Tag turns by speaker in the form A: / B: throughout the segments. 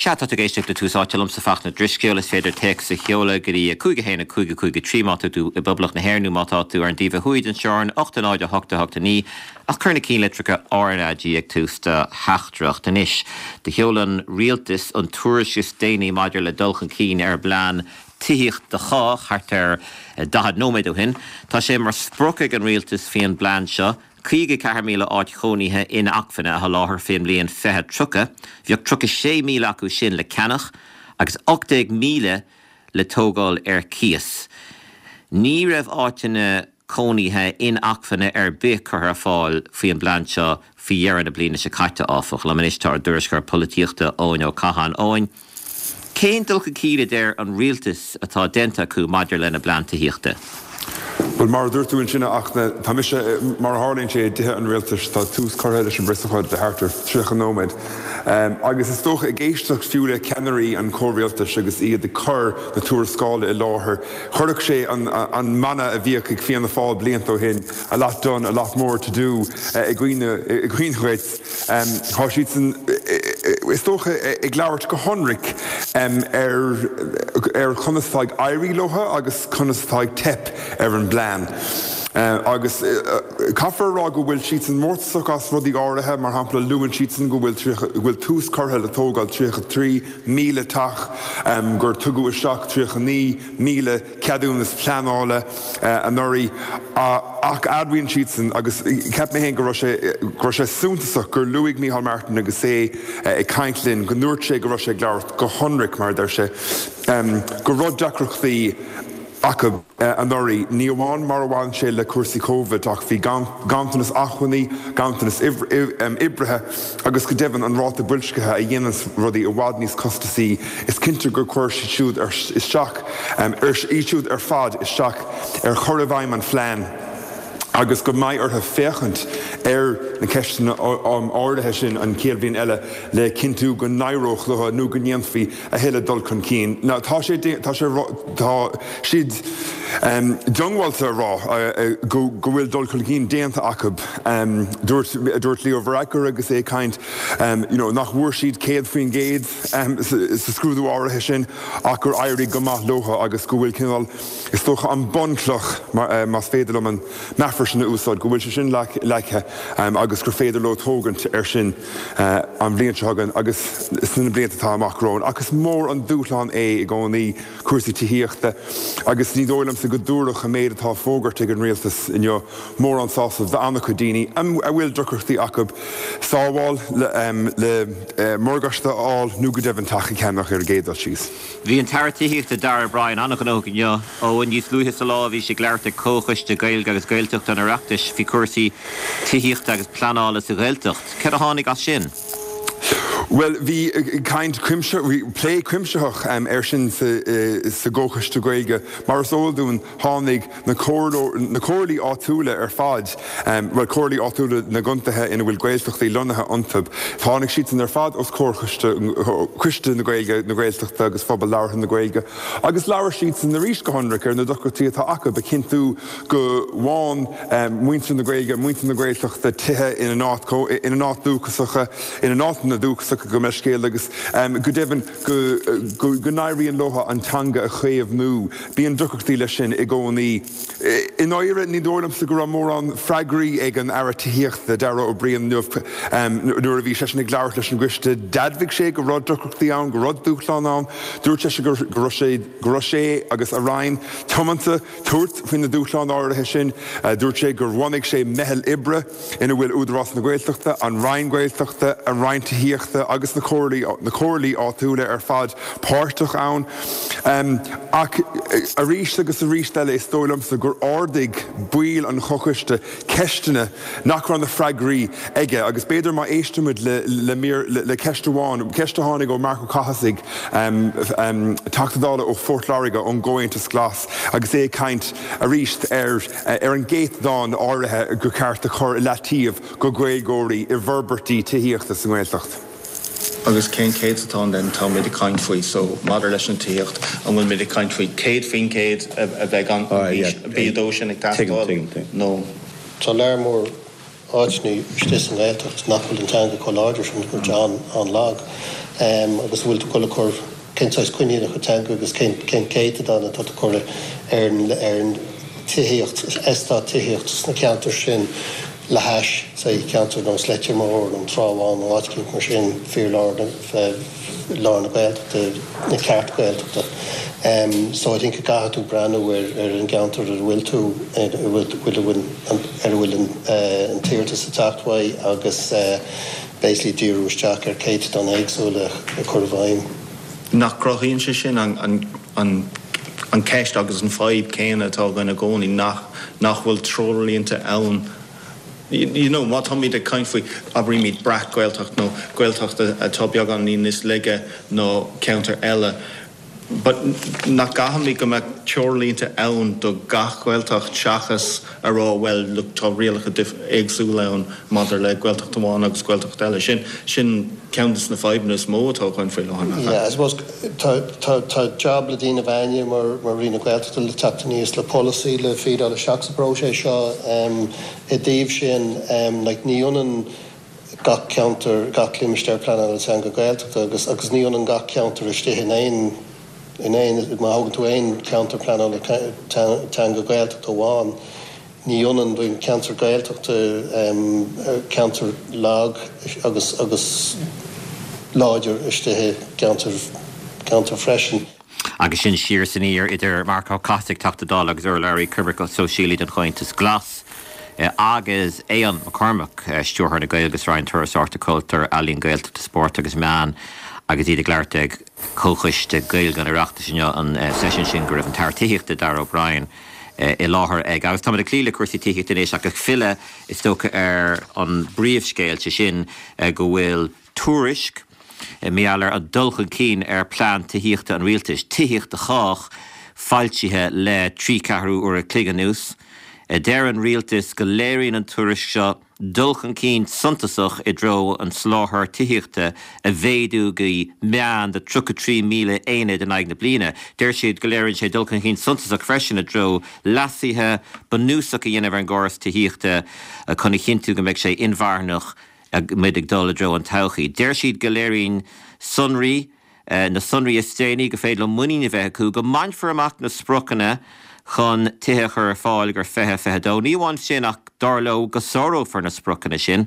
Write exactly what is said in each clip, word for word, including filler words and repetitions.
A: Sea tá ag éisteacht le Tús Áite liomsa Fachtna Drisceoil is féidir téacs a sheoladh go dtí cúig a haon a cúig a cúig a trí má tá tú i bPoblacht na hÉireann nó má tá tú ar an dtaobh thuaidh den teorainn ocht a náid a hocht a hocht a naoi ach cuir na ceannlitreacha RnaG ag tús do theachtaireacht anois. Do sheol an rialtas an tuairisc is déanaí maidir le dul chun cinn ar bplean tithíochta do chách thart ar daichead nóiméad ó shin. Tá sé mar sprioc ag an rialtas faoin bplean seo, caoga ceathair míle áit chónaithe inacmhainne a sholáthar faoin mbliain fiche tríocha, bheadh tríocha sé míle acu sin le ceannach agus ocht déag míle le tógáil ar cíos. Ní raibh áiteanna cónaithe inacmhainne ar bith curtha ar fáil faoin bplean seo faoi dheireadh na bliana seo caite áfach. Liom anois tá ár dtuairisceoir polaitíochta Eoin Ó Catháin Eoin. Cén dul chun cinn a deir an rialtas atá déanta acu maidir lena bplean tithíochta?
B: Bhuel mar a dúirt tú ansin ach tá mise mar a tharlaíonn sé i dTithe an Rialtais tá tús curtha leis an bpreasócáid le thart ar tríocha nóiméad. Agus is dócha ag éisteacht fiú le ceannairí an chomhrialtais agus iad ag cur na tuarascála i láthair, chuirfeadh sé an an mana a bhíodh ag Fianna Fáil blianta ó shin, a lot done, a lot more to do i gcuimhne i gcuimhne dhuit. Tá siadsan is dócha ag labhairt go hionraic ar ar conas atá ag éirí leo agus conas atá ag teip ar an bplean. Agus caithfear a rá go bhfuil siadsan mórtasach as rudaí áirithe, mar shampla luann siadsan go bhfuil go bhfuil tús curtha le tógáil tríocha trí míle teach, gur tugadh isteach tríocha naoi míle ceadúnas pleanála anuraidh, ach admhaíonn siadsan agus cheap mé féin go raibh sé go raibh sé suntasach gur luaigh Micheál Martin agus é ag caint linn go ndúirt sé go raibh sé ag labhairt go hionraic mar a deir sé go raibh deacrachtaí acu anuraidh. Ní amháin mar a bhain sé le cúrsaí Covid ach bhí ganntanas acmhainní, ganntanas oibrithe agus go deimhin an ráta boilscithe a dhéanann rudaí i bhfad níos costasaí. Is cinnte gur chuir siad siúd isteach iad siúd ar fad isteach ar chur i bhfeidhm an phlean agus go mbeidh orthu féachaint ar na ceisteanna áirithe sin an chéad bhliain eile le cinntiú go n-éireodh leo nó go ndéanfaí a thuilleadh dul chun cinn. Now tá sé tá sé tá siad diongbháilte a rá go go bhfuil dul chun cinn déanta acu. Dúirt dúirt Leo Varadkar agus é ag caint you know, nach bhfuair siad céad faoin gcéad sa scrúdú áirithe sin ach gur éirigh go maith leo agus go bhfuil cineál is dócha an bunchloch más féidir liom an meafar sin a úsáid, go bhfuil sé sin leagtha agus gur féidir leo tógaint ar sin an bhliain seo chugainn agus sna blianta atá amach romhainn. Ach is mór an dúshlán é i gcónaí cúrsaí tithíochta agus ní dóigh liomsa go dtabharfadh an méid atá fógartha ag an rialtas inniu mórán sásamh d'an-chuid daoine a bhfuil deacrachtaí acu sábháil le morgáiste a fháil nó go deimhin teach a cheannach ar an gcéad dul síos.
A: Bhí an tAire Tithíochta Darragh O'Brien an-ghnóthach inniu ó níos luaithe sa lá bhí sé ag labhairt ag Comhchoiste Gaeilge agus Gaeltachta an Oireachtais faoi chúrsaí tithíochta agus pleanála sa Ghaeltacht. Cad a tháinig as sin?
B: Well bhí caint cuimse bhí plé cuimsitheach air sin sa sa gComhchoiste Gaeilge mar is eol dúinn tháinig na na comhairlí áitiúla ar fad well comhairlí áitiúla na gcontaetha ina bhfuil Gaeltachtaí lonnaithe iontu. Tháinig siad ar fad os comhair Choiste na Gaeilge na Gaeltachta agus phobal labhartha na Gaeilge agus labhair siad san arís go hionraic ar na deacrachtaí atá acu a chinntiú go bhfaigheann muintir na Gaeilge, muintir na Gaeltachta tithe ina n-áit ina n-áit dúchasacha, ina n-áiteanna dúchasacha go mbeidh scéal agus go deimhin go go n-éiríonn leo an teanga a chaomhnú. Bíonn deacrachtaí leis sin i gcónaí. I ndáiríre ní dóigh liomsa go raibh mórán freagraí ag an Aire Tithíochta Darragh O'Brien inniu nuair a bhí seisean ag labhairt leis an gcoiste. D'admhaigh sé go raibh deacrachtaí ann, go raibh dúshlán ann, dúirt sé go raibh sé go raibh sé agus a Roinn tiomanta tabhairt faoi na dúshláin áirithe sin. Dúirt sé gur bhunaigh sé meitheal oibre ina bhfuil Údarás na Gaeltachta, an Roinn Gaeltachta, an Roinn Tithíochta agus na comhairlí na comhairlí áitiúla ar fad páirteach ann. Ach arís agus arís eile is dóigh liomsa gur ardaigh baill an chomhchoiste ceisteanna nach raibh na freagraí aige agus b'fhéidir má éistimid le le mír le ceist amháin, ceist a tháinig ó Marc Ó Cathasaigh Teachta Dála ó Phort Láirge ón gComhaontas Glas agus é ag caint arís ar ar an gcéatadán áirithe gur ceart a chur i leataobh do Ghaeilgeoirí i bhforbairtí tithíochta sa nGaeltacht.
C: Agus cén céatadán den táimid ag caint faoi so maidir leis an tithíocht an bhfuil muid ag caint faoi céad faoin gcéad a bheith an B dó sin ag teastáil nó
D: Tá lear mór áiteanna istigh sa nGaeltacht nach bhfuil an teanga chomh láidir sin, go bhfuil an-lag, agus bhfuil tú ag dul a chur cén saghas coinníollacha teanga agus cén céatadán atá tú ag cur ar an tithíocht, eastát tithíocht sna ceantair sin le hais, say, ceantar nós Leitir Móir nó an Trá Bháin nó áit eicínt mar sin, fíorlár lár na Gaeltachta, na ceart Gaeltachta. So I think go gcaithfidh tú breathnú ar ar an gceantar ar a bhfuil tú, ar a bhfuil ar a bhfuil an t-iarratas ag teacht uaidh agus basically díriú isteach ar céatadáin éagsúla a chur i bhfeidhm.
C: Nach gcruthaíonn sé sin an an an an ceist agus an fadhb céanna atá againn i gcónaí, nach nach bhfuil treoirlínte ann? You know, má táimid ag caint faoi, abraímid breac-Ghaeltacht nó Gaeltacht atá beagáinín níos laige ná ceantar eile, but nach gcaithfimid go mbeadh treoirlínte ann do gach Gaeltacht seachas a rá bhuel look tá rialacha éagsúla ann maidir le Gaeltacht amháin agus Gaeltacht eile. Sin sin ceann de na fadhbanna is mó atá againn faoi láthair, nach ea?
D: Yeah, I suppose tá tá tá job le déanamh againne mar mar Roinn na Gaeltachta le teacht aníos le polasaí le feedáil isteach sa bpróiseas seo um, i dtaobh sin um, like ní ionann gach ceantar, gach limistéar pleanála teanga Gaeltachta agus agus ní ionann gach ceantar istigh in aon in aon má thógann tú aon cheantar pleanála teanga Gaeltachta amháin, ní ionann an ceantar Gaeltachta ceantar lag agus agus láidir istigh i gceantar ceantar freisin.
A: Agus sin siar is aniar idir Marc Ó Cathasaigh, Teachta Dála agus urlabhraí coimirce sóisialaí don Chomhaontas Glas, agus Aodhán Mac Cormaic, Stiúrthóir na Gaeilge sa Roinn Turasóireachta, Cultúir, Ealaíon, Gaeltachta, Spóirt agus Meán agus iad ag labhairt ag Comhchoiste Gaeilge an Oireachtais inniu, an seisiún sin go raibh an tAire Tithíochta Darragh O'Brien i láthair ag. Agus táimid ag cloí le cúrsaí tithíochta anois ach ag filleadh is dócha ar an bpríomhscéal, sé sin go bhfuil tuairisc mar gheall ar an dul chun cinn ar plean tithíochta an rialtais, Tithíocht do Chách, foilsithe le trí ceathrú uair a chloig anuas. Deir an rialtas go léiríonn an tuairisc seo dul chun cinn suntasach i dtreo an soláthar tithíochta a mhéadú go meán de tríocha trí míle aonad in aghaidh na bliana. Deir siad go léiríonn sé dul chun cinn suntasach freisin i dtreo leasuithe bunúsacha a dhéanamh ar an gcóras tithíochta chun a chinntiú go mbeidh sé inmharthanach muid ag dul i dtreo an todhchaí. Deir siad go léiríonn sonraí na sonraí is déanaí go féidir leo muinín a bheith acu go mbainfear amach na spriocanna chun tithe a chur ar fáil go fiche fiche dó. Ní amháin sin ach dar leo go sárófar na spriocanna sin.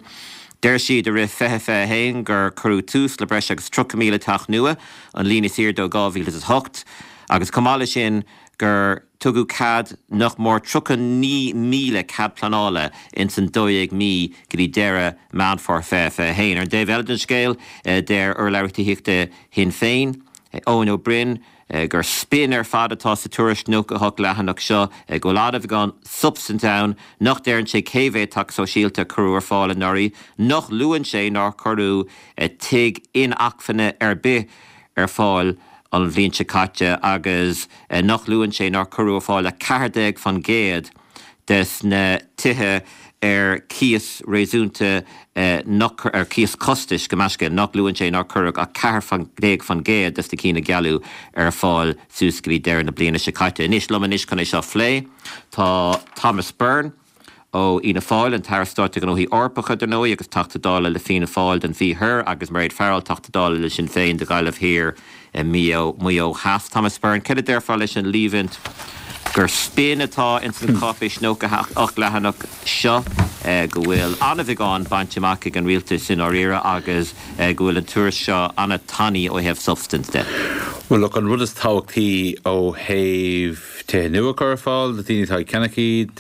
A: Deir siad i rith fiche fiche haon gur cuireadh tús le breis agus tríocha míle teach nua, an líon is airde ó dhá mhíle is a hocht, agus chomh maith leis sin gur tugadh cead nach mór tríocha naoi míle cead pleanála ins an dó dhéag mí go dtí deireadh Meán Fómhair fiche fiche haon. Ar an dtaobh eile den scéal, deir urlabhraí tithíochta Shinn Féin, Eoin Ó Broin, gur spin ar fad atá sa tuairisc nócha a hocht leathanach seo, go bhfuil an-bheagán substaint ann, nach ndeireann sé cé mhéad teach sóisialta a cuireadh ar fáil anuraidh, nach luann sé nár cuireadh tigh inacmhainne ar bith ar fáil an bhliain seo caite agus nach luann sé nár cuireadh ar fáil a ceathair déag faoin gcéad des na tithe ar cíos réasúnta nach ar cíos costais go measctha, nach luann sé nár cuireadh ach ceathair déag faoin gcéad des na cinn a gealladh ar fáil suas go dtí deireadh na bliana seo caite. Anois liom anois chun é seo a phlé tá Thomas Byrne ó Fhianna Fáil, an tAire Stáit do Ghnóthaí Eorpacha dar ndóigh agus Teachta Dála le Fianna Fáil don Mhí Thoir agus Mairéad Farrell, Teachta Dála le Sinn Féin do Ghaillimh Thiar, Maigh Eo Theas. Thomas Byrne, céard a déarfá leis an líomhaint gur spin atá ins an cháipéis nócha ocht leathanach seo, go bhfuil an-bheagán bainte amach ag an rialtas i ndáiríre agus go bhfuil an tuairisc seo an-tanaí ó thaobh substaint de?
E: Bhuel, look, an rud is tábhachtaí ó thaobh tithe nua a chur ar fáil do dhaoine atá ag ceannach iad,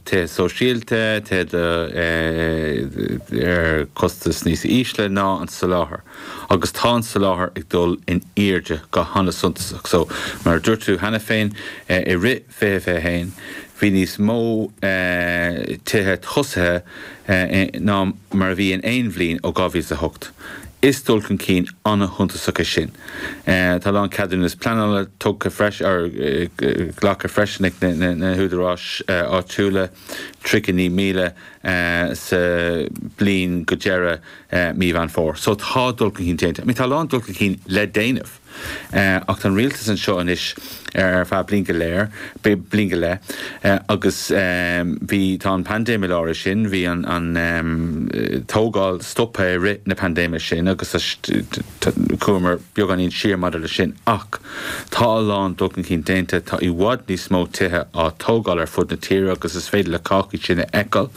E: tithe sóisialta, tithe ar chostas níos ísle ná an soláthar. Agus tá an soláthar ag dul in airde go han-suntasach. So, mar a dúirt tú cheana féin, i rith fiche fiche haon, bhí níos mó tithe tosaithe ná mar a bhí in aon bhliain ó dhá mhíle is a hocht. Is dul chun cinn an-shuntasach é sin. Tá a lán ceadúnas pleanála tugtha freisin, or glactha freisin ag na húdaráis áitiúla, tríocha naoi míle sa bliain go deireadh mí Mheán Fómhair. So tá dul chun cinn déanta. I mean tá a lán dul chun cinn le déanamh. Ach tá an rialtas anseo anois ar feadh bliain go léir, bliain go leith, agus bhí, tá an paindéim i lár é sin, bhí an an tógáil stoptha i rith na paindéime sin agus chuamar beagáinín siar maidir leis sin. Ach tá a lán dul chun cinn déanta, tá i bhfad níos mó tithe á tógáil ar fud na tíre agus is féidir le cách iad sin a fheiceáil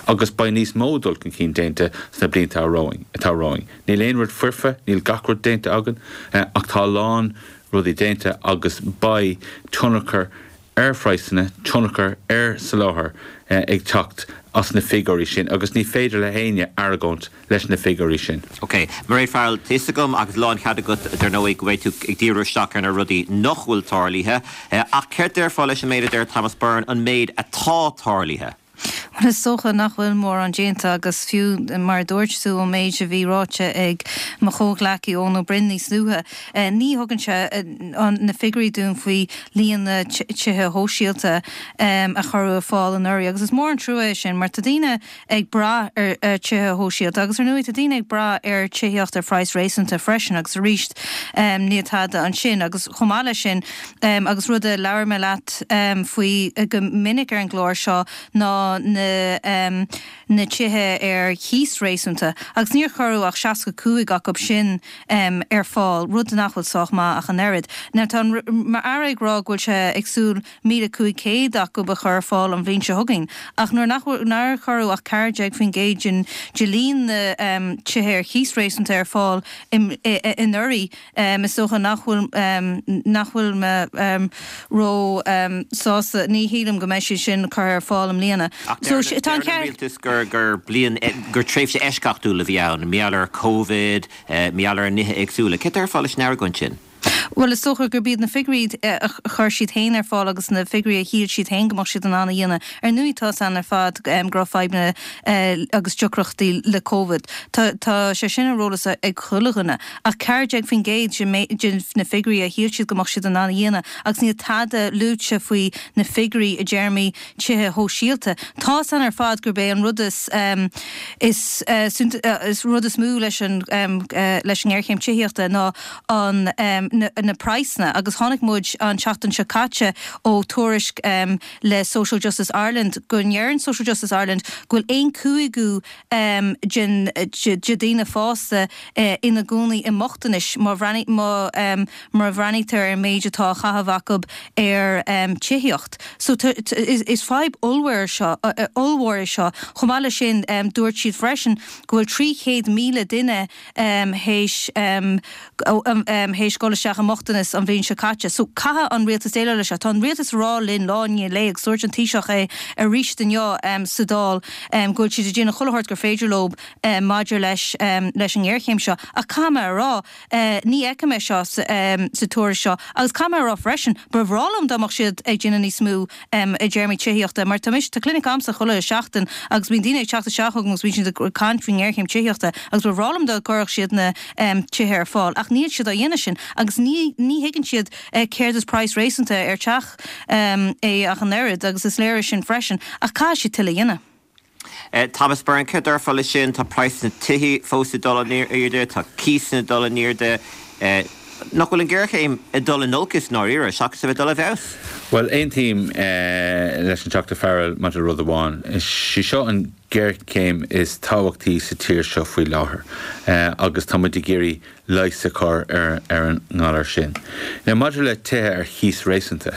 E: agus beidh níos mó dul chun cinn déanta sna blianta atá romhainn. Níl aon rud foirfe, níl gach rud déanta againn, ach tá a lán rudaí déanta agus beidh tionchar ar phraghsanna, tionchar ar soláthar ag teacht as na figiúirí sin agus ní féidir le héinne argóint leis na figiúirí sin.
A: Ok, Mairéad Farrell, tá fhios agam agus lánchead agat dar ndóigh go mbeidh tú ag díriú isteach ar na rudaí nach bhfuil tarlaithe, ach céard déarfá leis an méid a deir Thomas Byrne, an méid atá tarlaithe?
F: Bhuel, is dócha nach bhfuil mórán déanta agus fiú mar a dúirt tú an méid a bhí ráite ag mo chomhghleacaí Eoin Ó Broin níos luaithe, ní thugann sé na figiúirí dúinn faoi líon na tithe shóisialta a cuireadh ar fáil anuraidh agus is mór an trua é sin mar tá daoine ag brath ar tithe shóisialta agus ar ndóigh tá daoine ag brath ar tithíocht ar phraghas réasúnta freisin agus arís níl tada ansin agus chomh maith leis sin agus rud a labhair mé leat faoi go minic ar an gclár seo ná na na tithe ar chíos réasúnta agus níor cuireadh ach seasca cúig acu sin ar fáil, rud nach bhfuil sách maith ach an oiread. Now tá an Aire ag rá go bhfuil sé ag súil míle cúig chéad acu a chur ar fáil an bhliain seo chugainn ach nuair nach nár cuireadh ach ceathair déag faoin gcéad den de líon na tithe ar chíos réasúnta ar fáil anuraidh, Is dócha nach bhfuil nach bhfuil mé ró sásta, ní shílim go mbeidh siad sin curtha ar fáil i mbliana.
A: Ach deir an rialtas gur gur bliain gur tréimhse eisceachtúil a bhí ann, mar gheall ar Covid, mar gheall ar nithe éagsúla. Céard déarfá leis an argóint sin?
F: Bhuel, is dócha gurb iad na figiúirí a chuir siad féin ar fáil agus na figiúirí a shíl siad féin go mbeadh siad in ann a dhéanamh. Ar ndóigh, tá 's againn ar fad go raibh fadhbanna agus deacrachtaí le Covid. Tá sé sin ar eolas ag chuile dhuine. Ach ceathair déag faoin gcéad de na figiúirí a shíl siad go mbeadh siad in ann a dhéanamh agus níl tada luaite faoi na figiúirí i dtéarmaí tithe shóisialta. Tá 's againn ar fad gurb é an rud is is is rud is mó leis an leis an ngéarchéim tithíochta ná an na praghsanna agus chonaic muid an tseachtain seo caite ó tuairisc le Social Justice Ireland go ndeireann Social Justice Ireland go bhfuil aon cúigiú den de daoine fásta ina gcónaí i mbochtanais má má bhreathnaítear ar an méid atá á chaitheamh acu ar tithíocht. So is fadhb ollmhór seo ollmhór é seo. Chomh maith leis sin dúirt siad freisin go bhfuil trí chéad míle duine théis théis dul isteach i mbochtanas an bhliain seo caite. So caithfidh an rialtas déileáil leis seo. Tá an rialtas ag rá linn lá i ndiaidh lae agus dúirt an Taoiseach é arís inniu sa Dáil go bhfuil siad ag déanamh chuile shórt gur féidir leo maidir leis leis an ngéarchéim seo. Ach caithfidh mé a rá, ní fheicim é seo sa tuairisc seo. Agus caithfidh mé a rá freisin, ba bhreá liom dá mbeadh siad ag déanamh níos mó i dtéarmaí tithíochta mar tá mise, tá clinic agamsa chuile sheachtain agus bíonn daoine ag teacht isteach chugam agus bíonn siad ag caint faoin ngéarchéim tithíochta agus ba bhreá liom dá gcuirfeadh siad na tithe ar fáil ach níl siad á dhéanamh sin agus ní ní thuigeann siad céard is praghas réasúnta ar teach é ach an oiread agus is léir é sin freisin ach caithfidh siad tuilleadh a dhéanamh.
A: Thomas Byrne, céard déarfá leis sin? Tá praghas na tithe fós ag dul in airde, tá cíosanna ag dul in airde. Nach bhfuil an ghéarchéim ag dul in olcas i ndáiríre, seachas a bheith ag dul i bhfeabhas?
E: Bhuel, aontaím leis an Teachta Farrell maidir le rud amháin. Is í seo an ghéarchéim is tábhachtaí sa tír seo faoi láthair agus tá muid ag iarraidh leigheas a chur ar an ngalar sin. Now, maidir le tithe ar chíos réasúnta,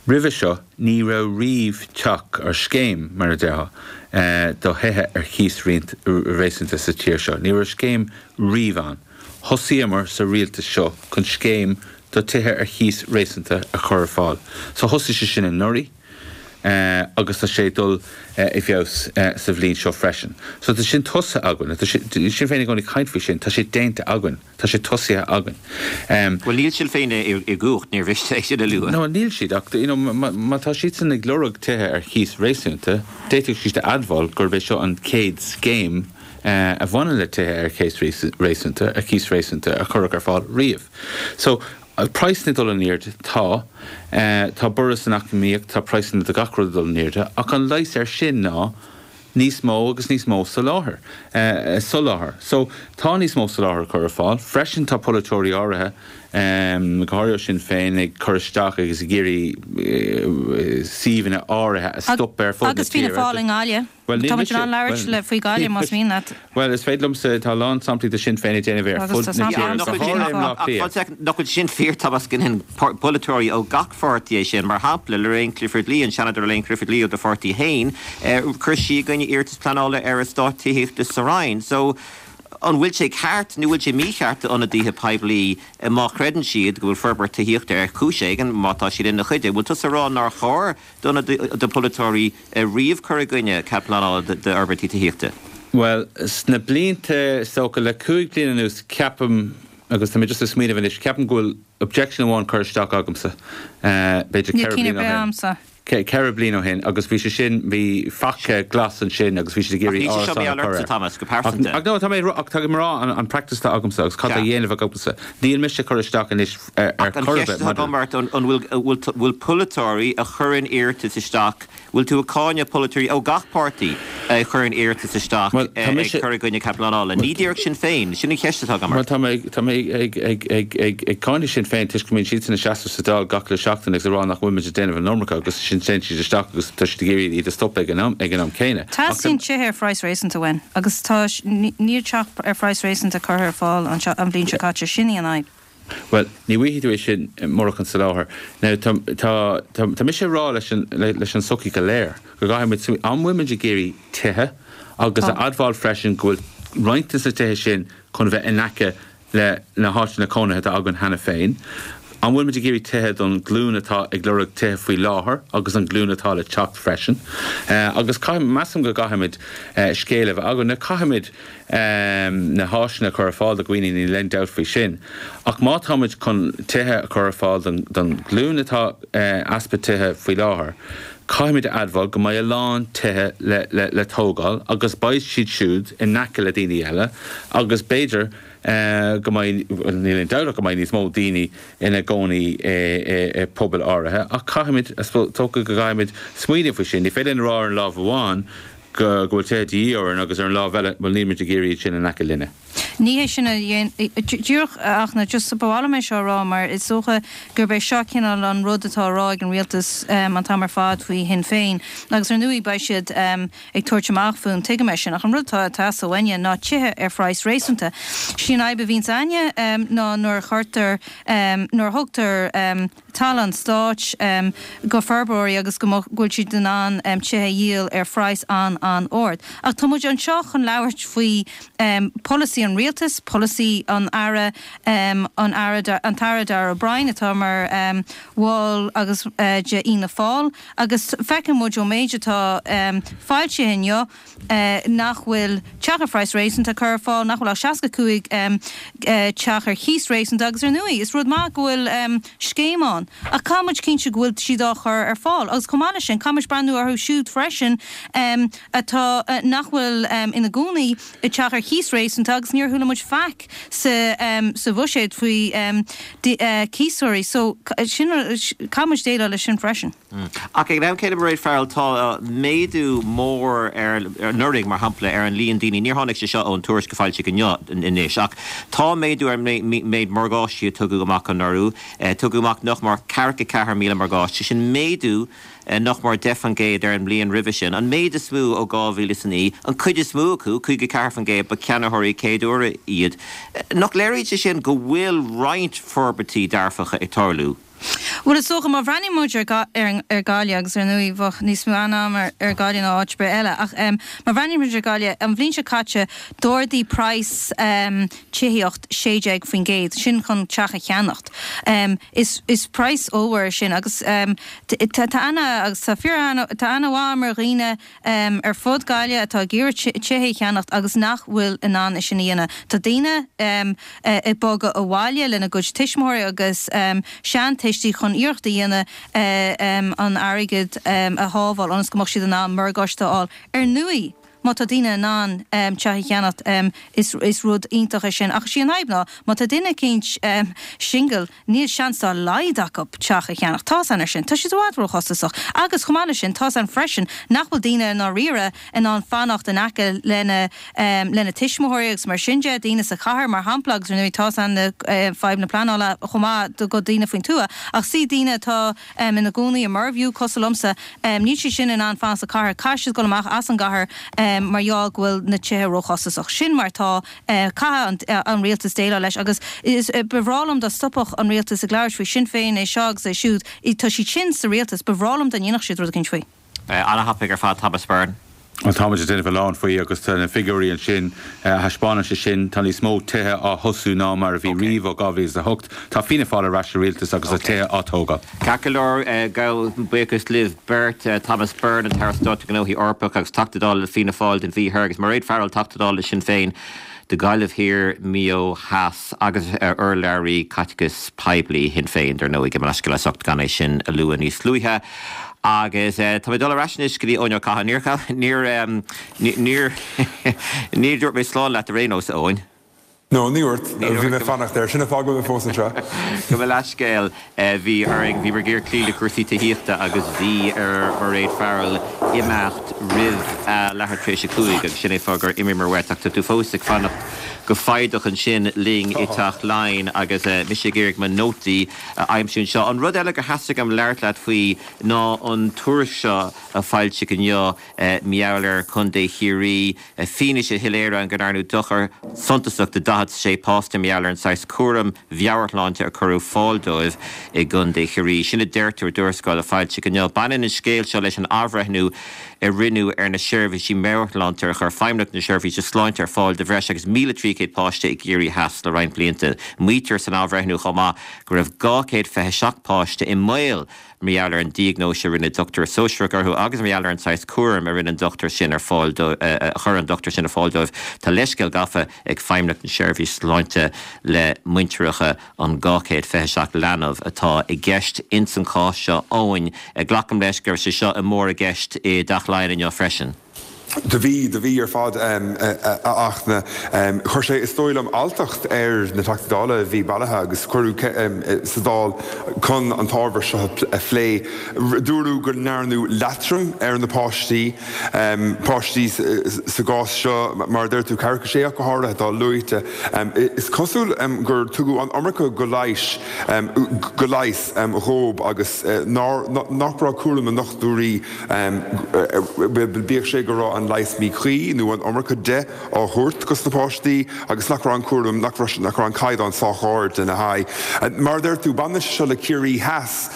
E: roimhe seo ní raibh riamh teach ar scéim, mar a déarfá, do thithe ar chíos réasúnta sa tír seo. Ní raibh scéim riamh ann. Thosaíomar sa rialtas seo chun scéim do tithe ar chíos réasúnta a chur ar fáil. So thosaigh sé sin anuraidh agus tá sé ag dul i bhfeabhas sa bhliain seo freisin. So tá sin tosaithe againn. Tá Sinn Féin i gcónaí ag caint faoi sin. Tá sé déanta againn. Tá sé tosaithe againn.
A: Bhuel níl Sinn Féin i gcumhacht, níor mhiste é sin a lua.
E: No, níl siad ach you know má tá siadsan ag lorg tithe ar chíos réasúnta, d'fhéadfadh siad a admháil gurb é seo an chéad scéim a bhaineann le tithe ar chéas réasúnta, ar chíos réasúnta a cuireadh ar fáil riamh. So, praghsanna ag dul in airde, tá. Tá borradh san eacnamaíocht, tá praghsanna do gach rud ag dul in airde, ach an leigheas air sin ná níos mó agus níos mó soláthair. Soláthar. So, tá níos mó soláthair á chur ar fáil. Freisin tá polaiteoirí áirithe go háirithe Sinn Féin ag cur isteach agus ag iarraidh suíomhanna áirithe a stop ar fud na tíre.
F: Agus Fianna Fáil i nGaillimh. Tá muid in ann labhairt le faoi Ghaillimh más mian leat.
E: Bhuel, is féidir liomsa, tá a lán samplaí de Sinn Féin ag déanamh ar fud na tíre, go háirithe i mBleá Cliath.
A: Nach bhfuil sin fíor, Tomás, go ndéanann polaiteoirí ó gach pháirtí é sin. Mar shampla, Lorraine Clifford-Lee, an Seanadóir Lorraine Clifford-Lee ó do pháirtí féin, chuir sí i gcoinne iarratas pleanála ar eastát tithíochta sa Rinn. So, an bhfuil sé ceart nó bhfuil sé mícheart d'ionadaithe poiblí má chreideann siad go bhfuil forbairt tithíochta ar chúis éigin, má tá siad ina chuid de, bhfuil tusa ag rá nár chóir do pholaiteoirí riamh cur i gcoinne cead pleanála d'fhorbairtí tithíochta?
E: Bhuel, sna blianta, is dócha le cúig bliana anuas, ceapaim, agus tá mé just ag smaoineamh anois, ceapaim go bhfuil objection amháin curtha isteach agamsa, b'fhéidir ceithre bliana ó shin. Ceithre bliana ó shin agus bhí sé sin, bhí faca glas ansin agus bhí siad ag iarraidh árasán a chur air.
A: Thomas, go pearsanta.
E: Ach no, tá mé, ach tá mé ag rá an practice atá agamsa agus cad tá á dhéanamh agamsa. Níl mise ag cur isteach anois ar
A: chor ar bith. Ach an cheist atá agam ort, an bhfuil, bhfuil polaiteoirí a chuireann iarratas isteach, Bhfuil tú ag cáineadh polaiteoirí ó gach páirtí a chuireann iarratas isteach ag cur i gcoinne cead pleanála? Ní díreach Sinn Féin. Sin an cheist atá agam
E: ort. Bhuel, tá mé, tá mé ag, ag, ag, ag, ag cáineadh Sinn Féin toisc go mbíonn siadsan ina seasamh sa Dáil gach uile seachtain agus ag rá nach bhfuil muid ag déanamh an iomarca agus ansin téann siad isteach agus tá siad ag iarraidh iad a stopadh ag an am, ag an am céanna.
F: Ach Teastaíonn tithe ar phraghas réasúnta uainn agus tá, níl teach ar phraghas réasúnta curtha ar fáil anseo an bhliain seo caite. Sin í an fhadhb.
E: Bhuel, ní bhfaighidh tú é sin murach an soláthar. Now, tá, tá, tá, tá mise ag rá leis an, leis an tsochaí go léir go gcaithfidh muid smaoineamh, an bhfuil muid ag iarraidh tithe agus a admháil freisin go bhfuil roinnt de na tithe sin chun a bheith in aice le na háiteanna cónaithe atá againn cheana féin? An bhfuil muid ag iarraidh tithe don ghlúin atá ag lorg tithe faoi láthair agus an ghlúin atá le teacht freisin? Agus caithfidh, measaim go gcaithfimid scéal a bheith againn. Now, caithfimid. na háiseanna a chur ar fáil do dhaoine, níl aon dabht faoi sin. Ach má táimid chun tithe a chur ar fáil don ghlúin atá easpa tithe faoi láthair, caithfimid a admháil go mbeidh a lán tithe le tógáil agus beidh siad siúd in aice le daoine eile agus b'fhéidir go mbeidh, bhuel níl aon dabht ach go mbeidh níos mó daoine ina gcónaí i bpobail áirithe ach caithfimid, is dócha go gcaithfimid smaoineamh faoi sin. Ní féidir linn a rá ar an lámh amháin go bhfuil tithe de dhíth orainn agus ar an lámh eile, bhuel, níl muid ag iarraidh iad sin in aice linne.
F: Ní hé sin a díreach ach na just ba mhaith liom é seo a rá mar is dócha gurb é seo cineál an rud atá á rá ag an rialtas an t-am ar fad faoi Shinn Féin agus ar ndóigh beidh siad ag tabhairt amach fúinn, tuigim é sin ach an rud atá ag teastáil uainne ná tithe ar phraghas réasúnta. Sí an fhadhb a bhíonns a'inne ná nuair a chuirtear, nuair a thugtar, talamh an stáit go forbróirí agus go bhfuil siad in ann tithe a dhíol ar phraghas an-an-ard. Ach tá muid anseo chun labhairt faoi polasaí an rialtais, polasaí an Aire, an Aire, an tAire Darragh O'Brien atá mar bhall agus de Fhianna Fáil agus feiceann muid ón méid atá foilsithe inniu nach bhfuil teach ar phraghas réasúnta curtha ar fáil, nach bhfuil ach seasca cúig teach ar chíos réasúnta agus ar ndóigh is rud maith go bhfuil scéim ann ach caithfidh muid cinntiú go bhfuil siad á chur ar fáil agus chomh maith leis sin caithfidh muid breathnú orthu siúd freisin atá nach bhfuil ina gcónaí i dteach ar chíos réasúnta agus níor chuala muid faic sa sa bhuiséad faoi cíosóirí so sin caithfidh muid déileáil leis sin freisin.
A: Ach ag an am céanna, Mairéad Farrell, tá méadú mór ar, anuraidh, mar shampla, ar an líon daoine, níor tháinig sé seo ón tuairisc a foilsíodh inniu anois, ach tá méadú ar an méid morgáistí a tugadh amach anuraidh. Tugadh amach nach mór ceathracha ceathair míle morgáiste, sin méadú nach mór deich faoin gcéad ar an mbliain roimhe sin, an méid is mó ó dhá mhíle is a naoi. An chuid is mó acu, caoga ceathair faoin gcéad, ba cheannaitheoirí céad uaire iad. Nach léiríonn sé sin go bhfuil roinnt forbairtí dearfacha ag tarlú?
F: Bhuel, is dócha, má bhreathnaíonn muid ar ar Ghaillimh, agus ar ndóigh bheadh níos mó aithne agam ar ar Ghaillimh ná áit ar bith eile, ach má bhreathnaíonn muid ar Ghaillimh, an bhliain seo caite d'ardaigh praghas tithíocht sé déag faoin gcéad, sin chun teach a cheannacht. Is is praghas ollmhór é sin agus tá tá aithne agus tá fíor aithne tá aithne mhaith agam ar dhaoine ar fud Gaillimh atá ag iarraidh tithe a cheannacht agus nach bhfuil in ann é sin a dhéanamh. Tá daoine ag bogadh abhaile lena gcuid tuismitheoirí agus seantuistí chun iarracht a dhéanamh an airgead a shábháil ionas go mbeadh siad in ann morgáiste a fháil. Ar ndóigh, má tá daoine in ann um, teach a cheannacht um, is, is rud iontach é sin. Ach sí an fhadhb ná má tá duine eicínt um, single níl seans dá laghad acu teach a cheannach tá an ar sin, Tá sé i bhfad róchostasach. Agus chomh maith leis sin tá an freisin nach bhfuil daoine dáiríre in ann fanacht in aice lena um, lena tuismitheoirí agus mar sin de daoine sa chathair mar shampla agus nu tá an uh, fadhb na pleanála chomh maith do go daoine faoin tuath ach sí daoine atá um, ina gcónaí i Mervue cosúil liomsa um, níl siad sin in ann fanacht sa chathair caithfidh siad dul amach as an gcathair um, mar gheall go bhfuil na tithe róchostasach sin mar tá uh, caithfidh an, uh, an rialtas déileáil leis agus is uh, ba bhreá liom dá stopfadh an rialtas ag labhairt faoi Sinn Féin é seo agus é siúd tá siad sin sa rialtas ba bhreá liom dá ndéanfadh siad rud eicínt faoi.
A: Uh, An-thapaidh ar fad Thomas Byrne.
E: An táid déanamh lán faoi agus tá na figiúirí ansin thaispeánann sé sin tá níos mó tithe á thosú ná mar a bhí riamh ó dhá mhíle a hocht Tá Fianna Fáil ar ais sa rialtas agus okay. tithe á dtógáil.
A: Ceart go leor gabhaim buíochas libh beirt Thomas Byrne an tAire Stáit Gnóthaí Eorpacha agus Teachta Dála le Fianna Fáil don Mhí Thoir agus Mairéad Farrell Teachta Dála le Sinn Féin. Do Ghaillimh Thiar Maigh Eo Theas agus urlabhraí caiteachas poiblí Shinn Féin dar ndóigh go leisce socht gan é sin a lua níos luaithe. Agus tá mé dul ar ais anois go dtí Eoin Ó Catháin níor níor níor dúirt mé slán leat ar aon nós Eoin.
B: No, ní dúirt bhí mé fanacht air sin fág me fós anseo.
A: Go bhfuil leiscéil bhí ar bhí mar géar clí le cuasaí taíochta agus bhí ar Mairéad Farrell imeacht roimh leathuair tar éis a cúig agus sin é fáth gur imigh mar ach tá tú fós ag fanacht go foighdeach ansin linn i dTeach Laighean agus mise ag iarraidh mo nótaí a aimsiú anseo. An rud eile gur theastaigh uaim labhairt leat faoi ná an tuairisc seo a foilsíodh inniu mar gheall ar Chontae Chiarraí fianaise shoiléir go ndearnadh dochar suntasach do daichead sé páiste mar gheall ar an saghas cúram meabhairshláinte a cuireadh ar fáil dóibh i gContae Chiarraí. Sin a deirtear i dtuarascáil a foilsíodh inniu. Baineann an scéal seo leis an athbhreithniú a rinneadh ar na seirbhísí meabhairshláinte a chuir Feidhmeannacht na Seirbhíse Sláinte ar fáil do bhreis agus míle trí chéad páiste i gCiarraí Theas le roinnt blianta. Maítear san athbhreithniú chomh maith go raibh dhá chéad fiche seacht páiste i mbaol mar gheall ar an diagnóis a rinne dochtúir sóisearach orthu agus mar gheall ar an saghas cúram a rinne an dochtúir sin ar fáil chuir an dochtúir sin ar fáil dóibh. Tá leithscéal gafa ag Feidhmeannacht na Seirbhíse Sláinte le muintireacha an dhá chéad fiche seacht leanbh atá i gceist ins an chás seo Eoin glacaim leis go raibh sé seo i mór i gceist i dTeach Laighean inniu freisin.
B: Do bhí do bhí ar fad ach na chuir sé is dóigh liom alltacht ar na Teachtaí Dála a bhí bailithe agus cuireadh sa Dáil chun an t-ábhar seo a phlé. Dúradh go ndearnadh leatrom ar na páistí páistí sa gcás seo mar deir tú ceathracha sé ach go háirithe atá luaite. Is cosúil gur tugadh an iomarca go leighis go leighis dhóibh agus nach raibh cúram na ndochtúirí bíodh sé go raibh an leigheas míchuí nó an iomarca de á thabhairt dos na páistí agus nach raibh an cúram nach raibh an caighdeán sách ard lena haghaidh. Mar deir tú baineann sé seo le Ciarraí Theas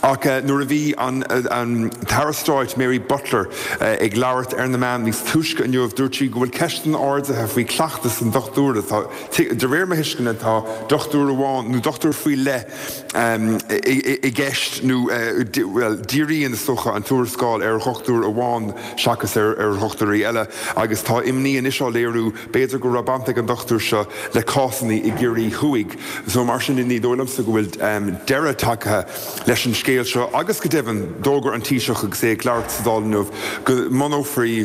B: ach nuair a bhí an an tAire Stáit Mary Butler ag labhairt ar na meáin níos túisce inniu dúirt sí go bhfuil ceisteanna ardaithe faoi chleachtas an dochtúra tá de réir mo thuisceana tá dochtúir amháin nó dochtúir faoi leith i gceist nó well díríonn is dócha an tuarascáil ar dhochtúir amháin seachas ar ar dhochtúirí eile agus tá imní anois á léiriú b'fhéidir go raibh baint ag an dochtúir seo le cásanna i gCiarraí Thuaidh. So mar sin ní dóigh liomsa go bhfuil deireadh tagtha leis an scéal seo agus go deimhin d'fhógair an Taoiseach agus é ag labhairt sa Dáil inniu go mbunófaí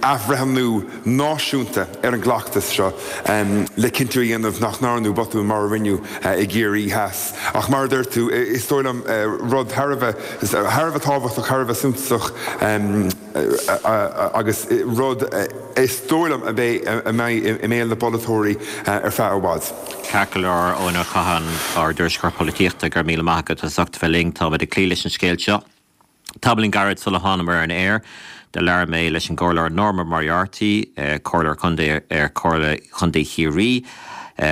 B: athbhreithniú náisiúnta ar an gcleachtas seo le cinntiú a dhéanamh nach ndearnadh botún mar a rinneadh i gCiarraí Theas. Ach mar a deir tú, is dóigh liom rud thar a bheith thar a bheith tábhachtach, thar a bheith suntasach agus rud is dóigh liom a bheidh a mbeidh i mbéal na bpolaiteoirí ar feadh i bhfad.
A: Ceart go leor Eoin Ó Catháin ár dtuairisceoir polaitíochta go raibh míle maith agat as ucht a bheith linn táimid ag cloí leis an scéal seo. Tamaillín gairid sula thánamar ar an aer, do labhair mé leis an gComhairleoir Norma Moriarty, Comhairleoir Contae ar Chomhairle Chontae Chiarraí,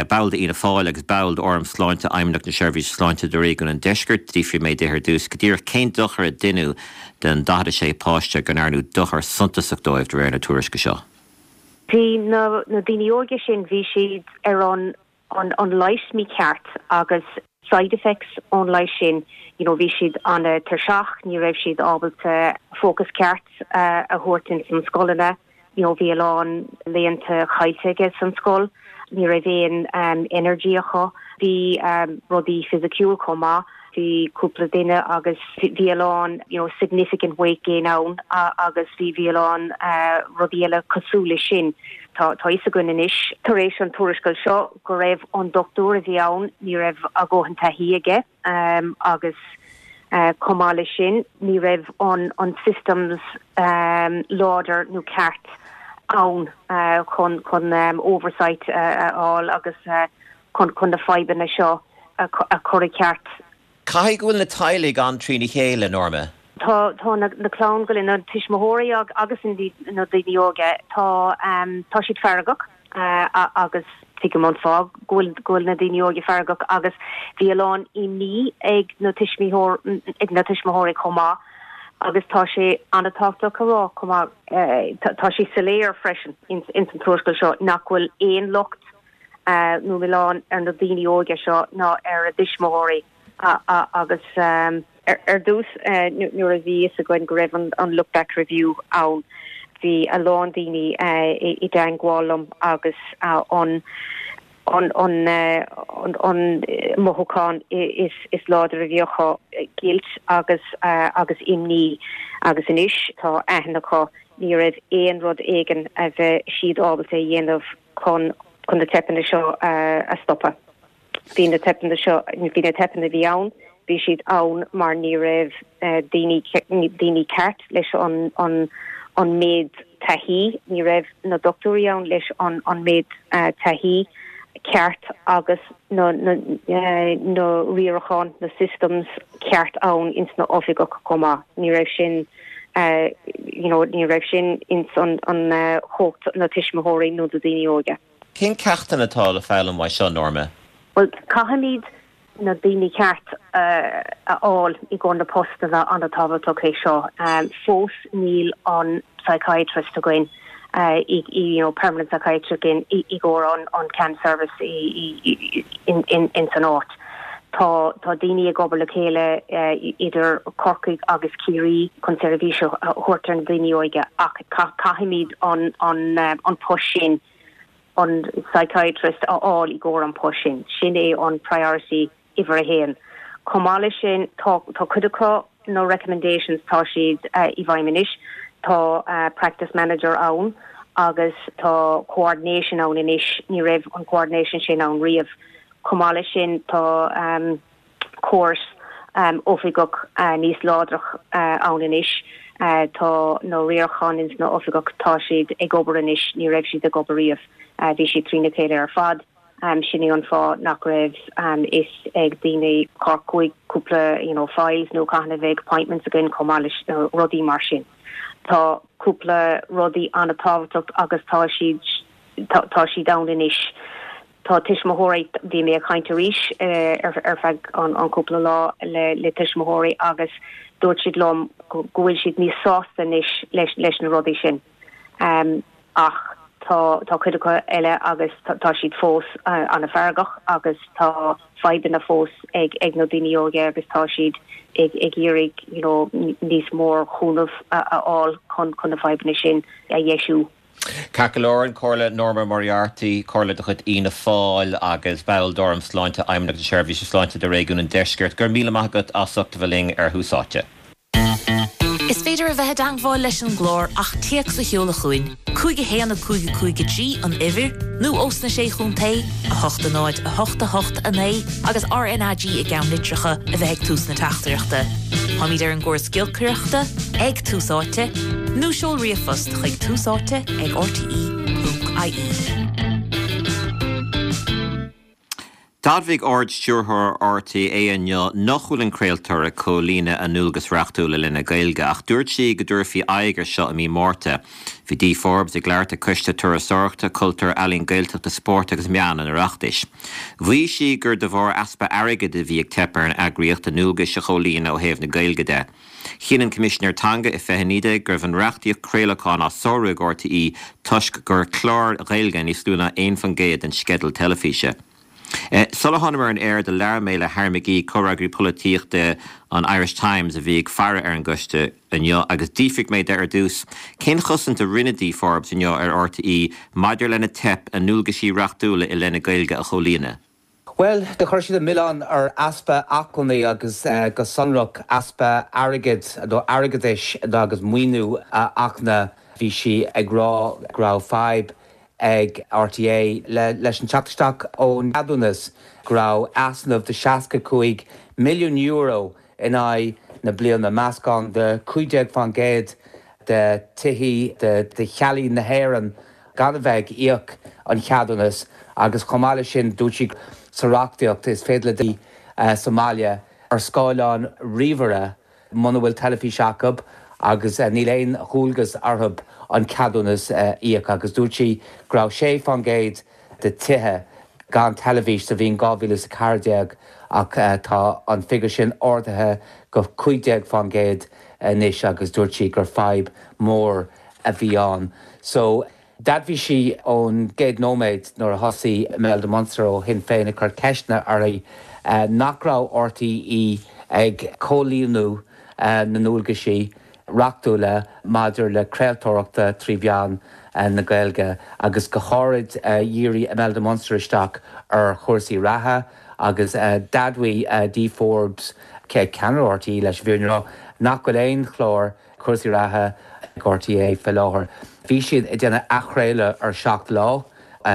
A: ball d'Fhianna Fáil agus ball d'Fhóram Sláinte Fheidhmeannacht na Seirbhíse Sláinte do Réigiún an Deiscirt. D'fhiafraigh mé di ar dtús go díreach cén dochar a deineadh den daichead a sé páiste go ndearnadh dochar suntasach dóibh de réir na tuairisce seo.
G: Bhí na na daoine óga sin bhí siad ar an an an leigheas mícheart agus side effects ón leigheas sin you know bhí siad an-tuirseach ní raibh siad ábalta focus ceart uh, a thabhairt in san scoileanna you know bhí a lán laethanta caillte aige san scoil ní raibh aon um, energy acu bhí um, rudaí fisiciúil chomh maith Bhí cúpla duine agus bhí a lán you know, significant weight gain ann agus bhí bhí a lán uh, rudaí eile cosúil leis sin. Tá tá fhios againn anois tar éis an tuarascáil seo go raibh an dochtúir a bhí ann ní raibh a dhóthain taithí aige um, agus uh, chomh maith leis sin ní raibh an an systems um, láidir nó ceart ann uh, chun chun um, oversight uh, a fháil agus uh, chun chun na fadhbanna seo a, a chur i gceart.
A: Caithfidh go bhfuil na teaghlaigh an-trína chéile Norma.
G: Tá tá na, na clann go na tuismitheoirí agus na daoine óga tá um, tá siad feargach uh, agus tuigim an fáth go bhfuil na daoine óga feargach agus bhí a lán imní ag na tuismitheoir ag na tuismitheoirí chomh maith agus tá sé an-tábhachtach a rá chomh maith uh, tá sé soiléir freisin in, in san tuarascáil seo nach bhfuil aon locht uh, nó milleán ar na daoine óga seo ná ar a dtuismitheoirí agus um, ar, ar dtús uh, nuair a bhí fhios againn go raibh an, an look back review ann bhí a lán daoine uh, i, i dteagmháil liom agus uh, an an an uh, an, an mothúchán is is láidir a bhí acu guilt agus uh, agus imní agus anois tá aithne acu ní raibh aon rud éigin a bheith siad ábalta a dhéanamh chun chun na teipeanna seo uh, a stopadh. Bhí na teipeanna seo bhí na teipeanna bhí ann, bhí siad ann mar ní raibh uh, daoine daoine ceart leis an an an méid taithí, ní raibh na dochtúirí ann leis an an méid uh, taithí ceart agus na na uh, na riaracháin na systems ceart ann ins na oifigí chomh maith. Ní raibh sin uh, you know, ní raibh sin ins an an uh, chumhacht na tuismitheoirí nó na daoine óga.
A: Cén ceachtanna atá le foghlaim uaidh seo Norma?
G: Well caithfimid na daoine ceart uh, a fháil i gcomhair na postanna an-tábhachtach é seo. Um, fós níl an psychiatrist againn uh, i, i, you know, permanent psychiatrist againn i, i gcomhair an, an CAN service i, i, in, in, in san áit. Tá tá daoine ag obair le chéile uh, idir Corcaigh agus Ciarraí chun seirbhís a thabhairt ar na daoine óga ach caithfimid an an uh, an post sin an psychiatrist a fháil i gcomhair an post sin. Sin é an priority uimhir a haon. Chomh maith leis sin tá tá cuid acu na recommendations tá siad uh, i bhfeidhm anois, tá uh, practice manager ann agus tá coordination ann anois ní raibh an coordination sin ann riamh. Chomh maith leis sin tá um, córas um, oifigeach uh, níos láidre uh, ann anois. Uh, tá na riaracháin ins na oifigí tá siad ag obair anois ní raibh siad ag obair riamh uh, bhí siad trína chéile ar fad. Um, sin é an fáth nach raibh um, is ag daoine chuig cúpla you know, files nó caithfidh bheith appointments againn chomh maith leis uh, rudaí mar sin. Tá cúpla rudaí an-tábhachtach agus tá siad tá, tá siad ann anois. Tá tuismitheoirí bhí mé ag caint arís uh, ar, ar feadh an, an cúpla lá le, le tuismitheoirí agus dúirt siad liom go bhfuil siad níos sásta anois leis, leis na rudaí sin. Um, ach tá tá cuid acu eile agus tá siad fós uh, an-fheargach agus tá fadhbanna fós ag ag na daoine óga agus tá siad ag ag iarraidh you know, níos mór cúnamh a fháil chun chun na fadhbanna sin a dheisiú.
A: Ceart go leor an Comhairleoir Norma Moriarty comhairleoir de chuid Fhianna Fáil agus ball d'Fhóram Sláinte Fheidhmeannacht na Seirbhíse Sláinte do réigiún an Deiscirt gur míle maith agat as ucht a bheith linn ar Thús Áite.
H: Is féidir a bheith i dteagmháil leis an gclár ach téacs a sheoladh chugainn, cúig a haon a cúig a cúig a trí an uimhir, nó osna sé chontae a hocht a náid a hocht a hocht a naoi agus RnaG i gceannlitreacha a bheith ag tús na teachtaireachta. Táimid ar an gcóras giolcaireachta ag Tús Áite, nó seol ríomhphost chuig túsáite ag rte.ie.
A: D'admhaigh Ard-Stiúrthóir RTÉ inniu nach bhfuil an craoltóir ag comhlíonadh a ndualgas reachtúil i leith na Gaeilge ach dúirt sí go dtabharfaí aghaidh air seo i mí Márta. Bhí Dee Forbes ag labhairt ag Coiste Turasóireachta, Cultúir, Ealaíon Gaeltachta, Spóirt agus Meán an Oireachtais. Mhaígh sí gur de bharr easpa airgid a bhí ag teip ar an eagraíocht a ndualgais a chomhlíonadh ó thaobh na Gaeilge de. Chinn an Coimisinéir Teanga i fiche naoi déag go raibh an reachtaíocht craolacháin á sárú ag RTÉ toisc gur cláir Ghaeilge níos lú ná aon faoin gcéad den sceideal teilifíse. Sula thánamar ar an aer do labhair mé le Harry McGee comhfhreagraí polaitíochta an Irish Times a bhí ag faire ar an gcoiste inniu agus d'fhiafraigh mé de ar dtús cén chosaint a rinne Dee Forbes inniu ar RTÉ maidir lena teip a ndualgaisí reachtúla i leith na Gaeilge a chomhlíonadh.
I: Well, do chuir siad an milleán ar easpa acmhainní agus uh, go sonrach easpa airgid nó airgeadais agus maoiniú a Fhachtna bhí sí ag rá go raibh fadhb ag RTÉ le, leis an teacht isteach ón gceadúnas go raibh easnamh de seasca cúig milliún euro in aghaidh na bliana meascán de cúig déag faoin gcéad de thithe de, de theaghlaigh na hÉireann gan a bheith ag íoc an cheadúnas agus chomh maith leis sin dúirt sí sa reachtaíocht is féidir le daoine uh, sa mbaile ar scáileán ríomhaire muna bhfuil teilifís acu agus uh, níl aon dualgas orthu an ceadúnas uh, íoc agus dúirt sí go raibh sé faoin gcéad de thithe gan teilifís sa bhliain dhá mhíle a ceathair déag ach uh, tá an figiúr sin ardaithe go cúig déag faoin gcéad anois agus dúirt sí gur fadhb mór a bhí ann. So D'admhaigh sí ón gcéad nóiméad nuair a thosaigh Imelda Munster ó Shinn Féin ag cur ceisteanna uirthi nach raibh RTÉ ag comhlíonadh na ndualgaisí reachtúla maidir le craoltóireachta trí mheán na Gaeilge agus go háirid dhírigh Imelda Munster isteach ar chúrsaí reatha agus d'admhaigh Dee Forbes ceannaire RTÉ leis an bhfírinne nach bhfuil aon chlár cúrsaí reatha ag RTÉ faoi láthair. Bhí siad ag déanamh athchraoladh ar seacht lá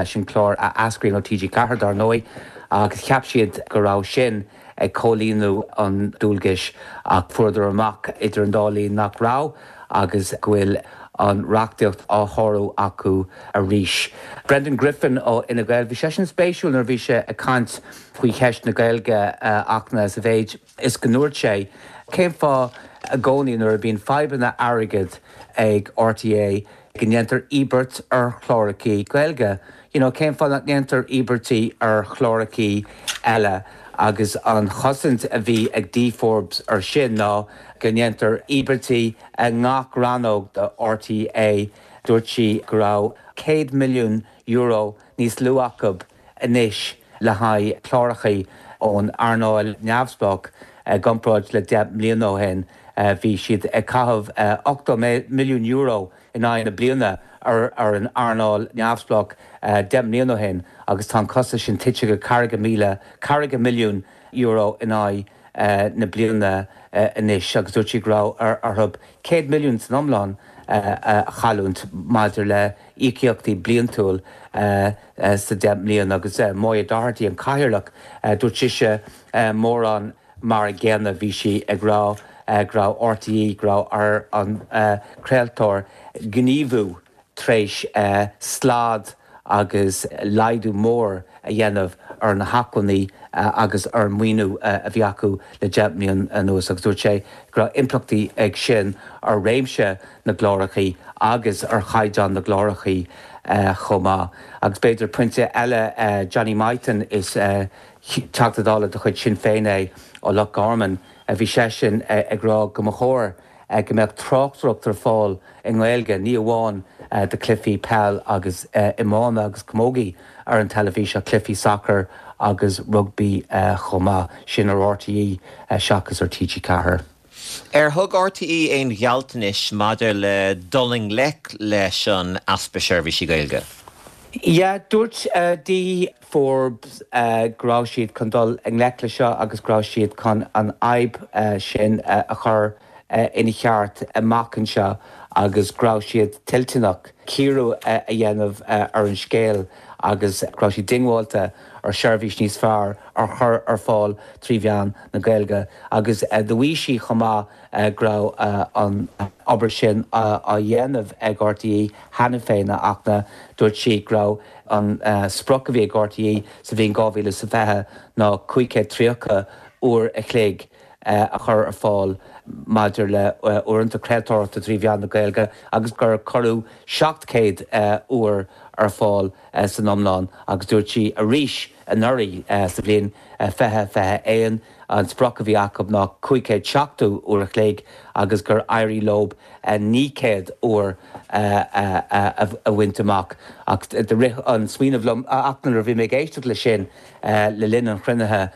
I: sin clár a eascraíonn ó TG Ceathair dar ndóigh agus cheap siad go raibh sin ag comhlíonadh an dualgais ach fuaireadar amach idir an dá linn nach raibh agus go bhfuil an reachtaíocht á shárú acu arís. Brendan Griffin ó Fhine Gael, bhí sé sin spéisiúil nuair bhí sé ag caint faoi cheist na Gaeilge Fhachtna sa mhéid is go ndúirt sé cén fáth i gcónaí nuair a bhíonn fadhbanna airgid ag RTÉ go ndéantar íobairt ar chláracha Gaeilge. You know, cén fáth nach ndéantar íobairtí ar chláracha eile agus an chosaint a bhí ag Dee Forbes ar sin ná go ndéantar íobairtí i ngach rannóg de RTÉ dúirt sí go raibh céad milliún euro níos lú acu anois le haghaidh cláracha ón earnáil neamhspleách i gcomparáid le deich mbliana ó shin bhí siad ag caitheamh ochtó milliún euro in aghaidh na bliana ar ar an earnáil neamhspleách deich mbliana ó shin agus tá an costas sin tite go ceathracha míle ceathracha milliún euro in aghaidh na bliana anois agus dúirt sí go raibh orthu céad milliún san iomlán a chailliúint maidir le íocaíochtaí bliantúil sa deich mbliana agus Moya Doherty an cathaoirleach dúirt sise mórán mar an gcéanna bhí sí ag rá go raibh RTÉ go raibh ar an craoltóir gníomhú tar éis slad agus laghdú mór a dhéanamh ar na hacmhainní agus ar maoiniú a bhí acu le deich mbliana anuas agus dúirt sé go raibh impleachtaí ag sin ar réimse na gcláracha agus ar chaighdeán na gcláracha chomh maith. Agus b'fhéidir pointe eile Johnny Mythen is Teachta Dála de chuid Sinn Féin é ó Loch Garman a bhí seisean ag rá go mba chóir go mbeadh tráchtaireacht ar fáil i nGaeilge ní amháin do chluichí peil agus iomána agus camógaí ar an teilifís ach cluichí sacair agus rugbaí chomh maith sin ar RTÉ seachas ar TG Ceathair.
A: Ar thug RTÉ aon ghealltanais maidir le dul i ngleic leis an easpa seirbhísí Gaeilge?
I: Ja, dúirt uh, Dee Forbes uh, go raibh siad chun dul i ngleic leis seo agus go raibh siad chun an fhadhb uh, sin uh, a chur uh, ina cheart amach anseo agus go raibh siad toilteanach cíoradh uh, a dhéanamh uh, ar an scéal agus go raibh siad diongbháilte ar seirbhís níos fearr a chur ar fáil trí mheán na Gaeilge agus uh, dúirt sí chomh maith uh, go raibh uh, an obair sin uh, á dhéanamh ag RTÉ cheana féin ach na dúirt sí go raibh an uh, sprioc a bhí ag RTÉ sa bhliain dhá mhíle sa fiche ná cúig chéad tríocha uair a chloig uh, a chur ar fáil maidir le uh, uaireanta craoltóireachta trí mheán na Gaeilge agus gur cuireadh seacht céad uh, uair ar fáil uh, san iomlán agus dúirt sí arís anuraidh uh, sa bhliain uh, fiche fiche aon an sprioc a bhí acu ná cúig chéad seachtó uair a chloig agus gur éirigh leo naoi céad uair a bhaint amach ach de rith an smaoineamh liom ach nuair a bhí mé ag éisteacht le sin le linn an chruinnithe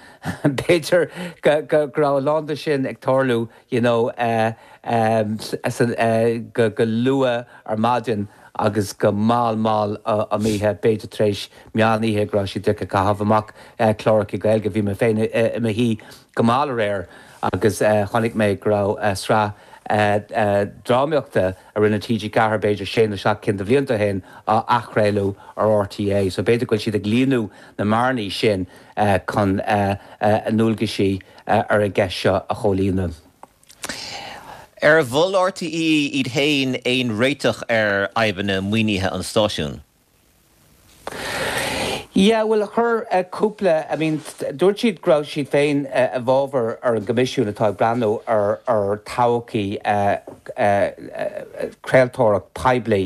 I: B'fhéidir go raibh a lán de sin ag tarlú you know, uh, um, uh, go, go luath ar maidin agus go mall mall um oíche b'fhéidir tar éis meán oíche go raibh siad ag caitheamh amach cláracha Gaeilge. Bhí mé féin i mo shuí go mall aréir agus chonaic mé go raibh sraith drámaíochta a rinne TG Ceathair b'fhéidir sé nó seacht cinn de bhlianta ó shin á athchraoladh ar RTÉ. So b'fhéidir go bhfuil siad ag líonadh na mbearnaí sin chun a ndualgaisí ar an gceist seo a chomhlíonadh.
A: Ar mhol RTÉ iad féin aon réiteach ar fhadhbanna maoinithe an stáisiúin?
I: Yeah, well chuir cúpla, I mean dúirt siad go raibh siad féin i bhfabhar ar an gcoimisiún atá ag breathnú ar ar todhchaí craoltóireacht poiblí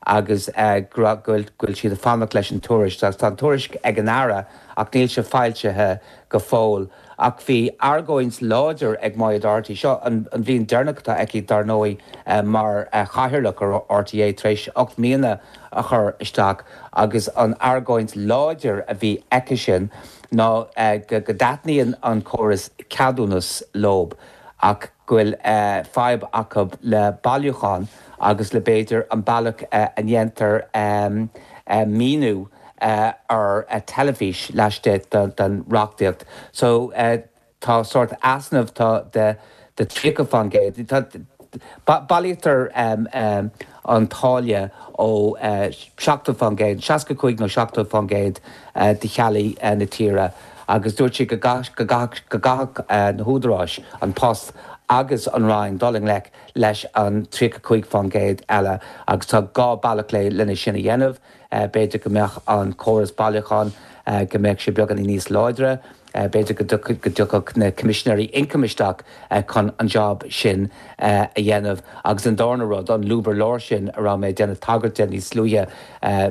I: agus go bhfuil go bhfuil siad ag fanacht leis an tuairisc. Agus tá an tuairisc ag an Aire ach níl sé foilsithe go fóill. Ach bhí argóint láidir ag Moya Doherty, seo an bhliain deireanach atá aici dar ndóigh mar chathaoirleach ar RTÉ tar éis ocht mbliana a chur isteach agus an argóint láidir a bhí aici sin ná go dtaitníonn an córas ceadúnas leo ach go bhfuil fadhb acu le bailiúchán agus le b'fhéidir an bealach a ndéantar maoiniú ar teilifís laistigh den reachtaíocht. So tá sórt easnamh tá de de tríocha faoin gcéad. Tá bailítear an táille ó seachtó faoin gcéad, seasca cúig nó seachtó faoin gcéad de theaghlaigh na tíre agus dúirt sí go gcaithfeadh na húdaráis, an Post agus an Roinn dul i ngleic leis an tríocha cúig faoin gcéad eile agus tá dhá bealach le lena sin a dhéanamh. B'fhéidir go mbeadh an córas bailiúcháin, go mbeadh sé beagáinín níos láidre, b'fhéidir go dtiocfadh na Coimisinéirí Ioncaim isteach chun an job sin a dhéanamh. Agus an darna rud, an lúb ar lár sin a raibh mé ag déanamh tagairt de níos luaithe,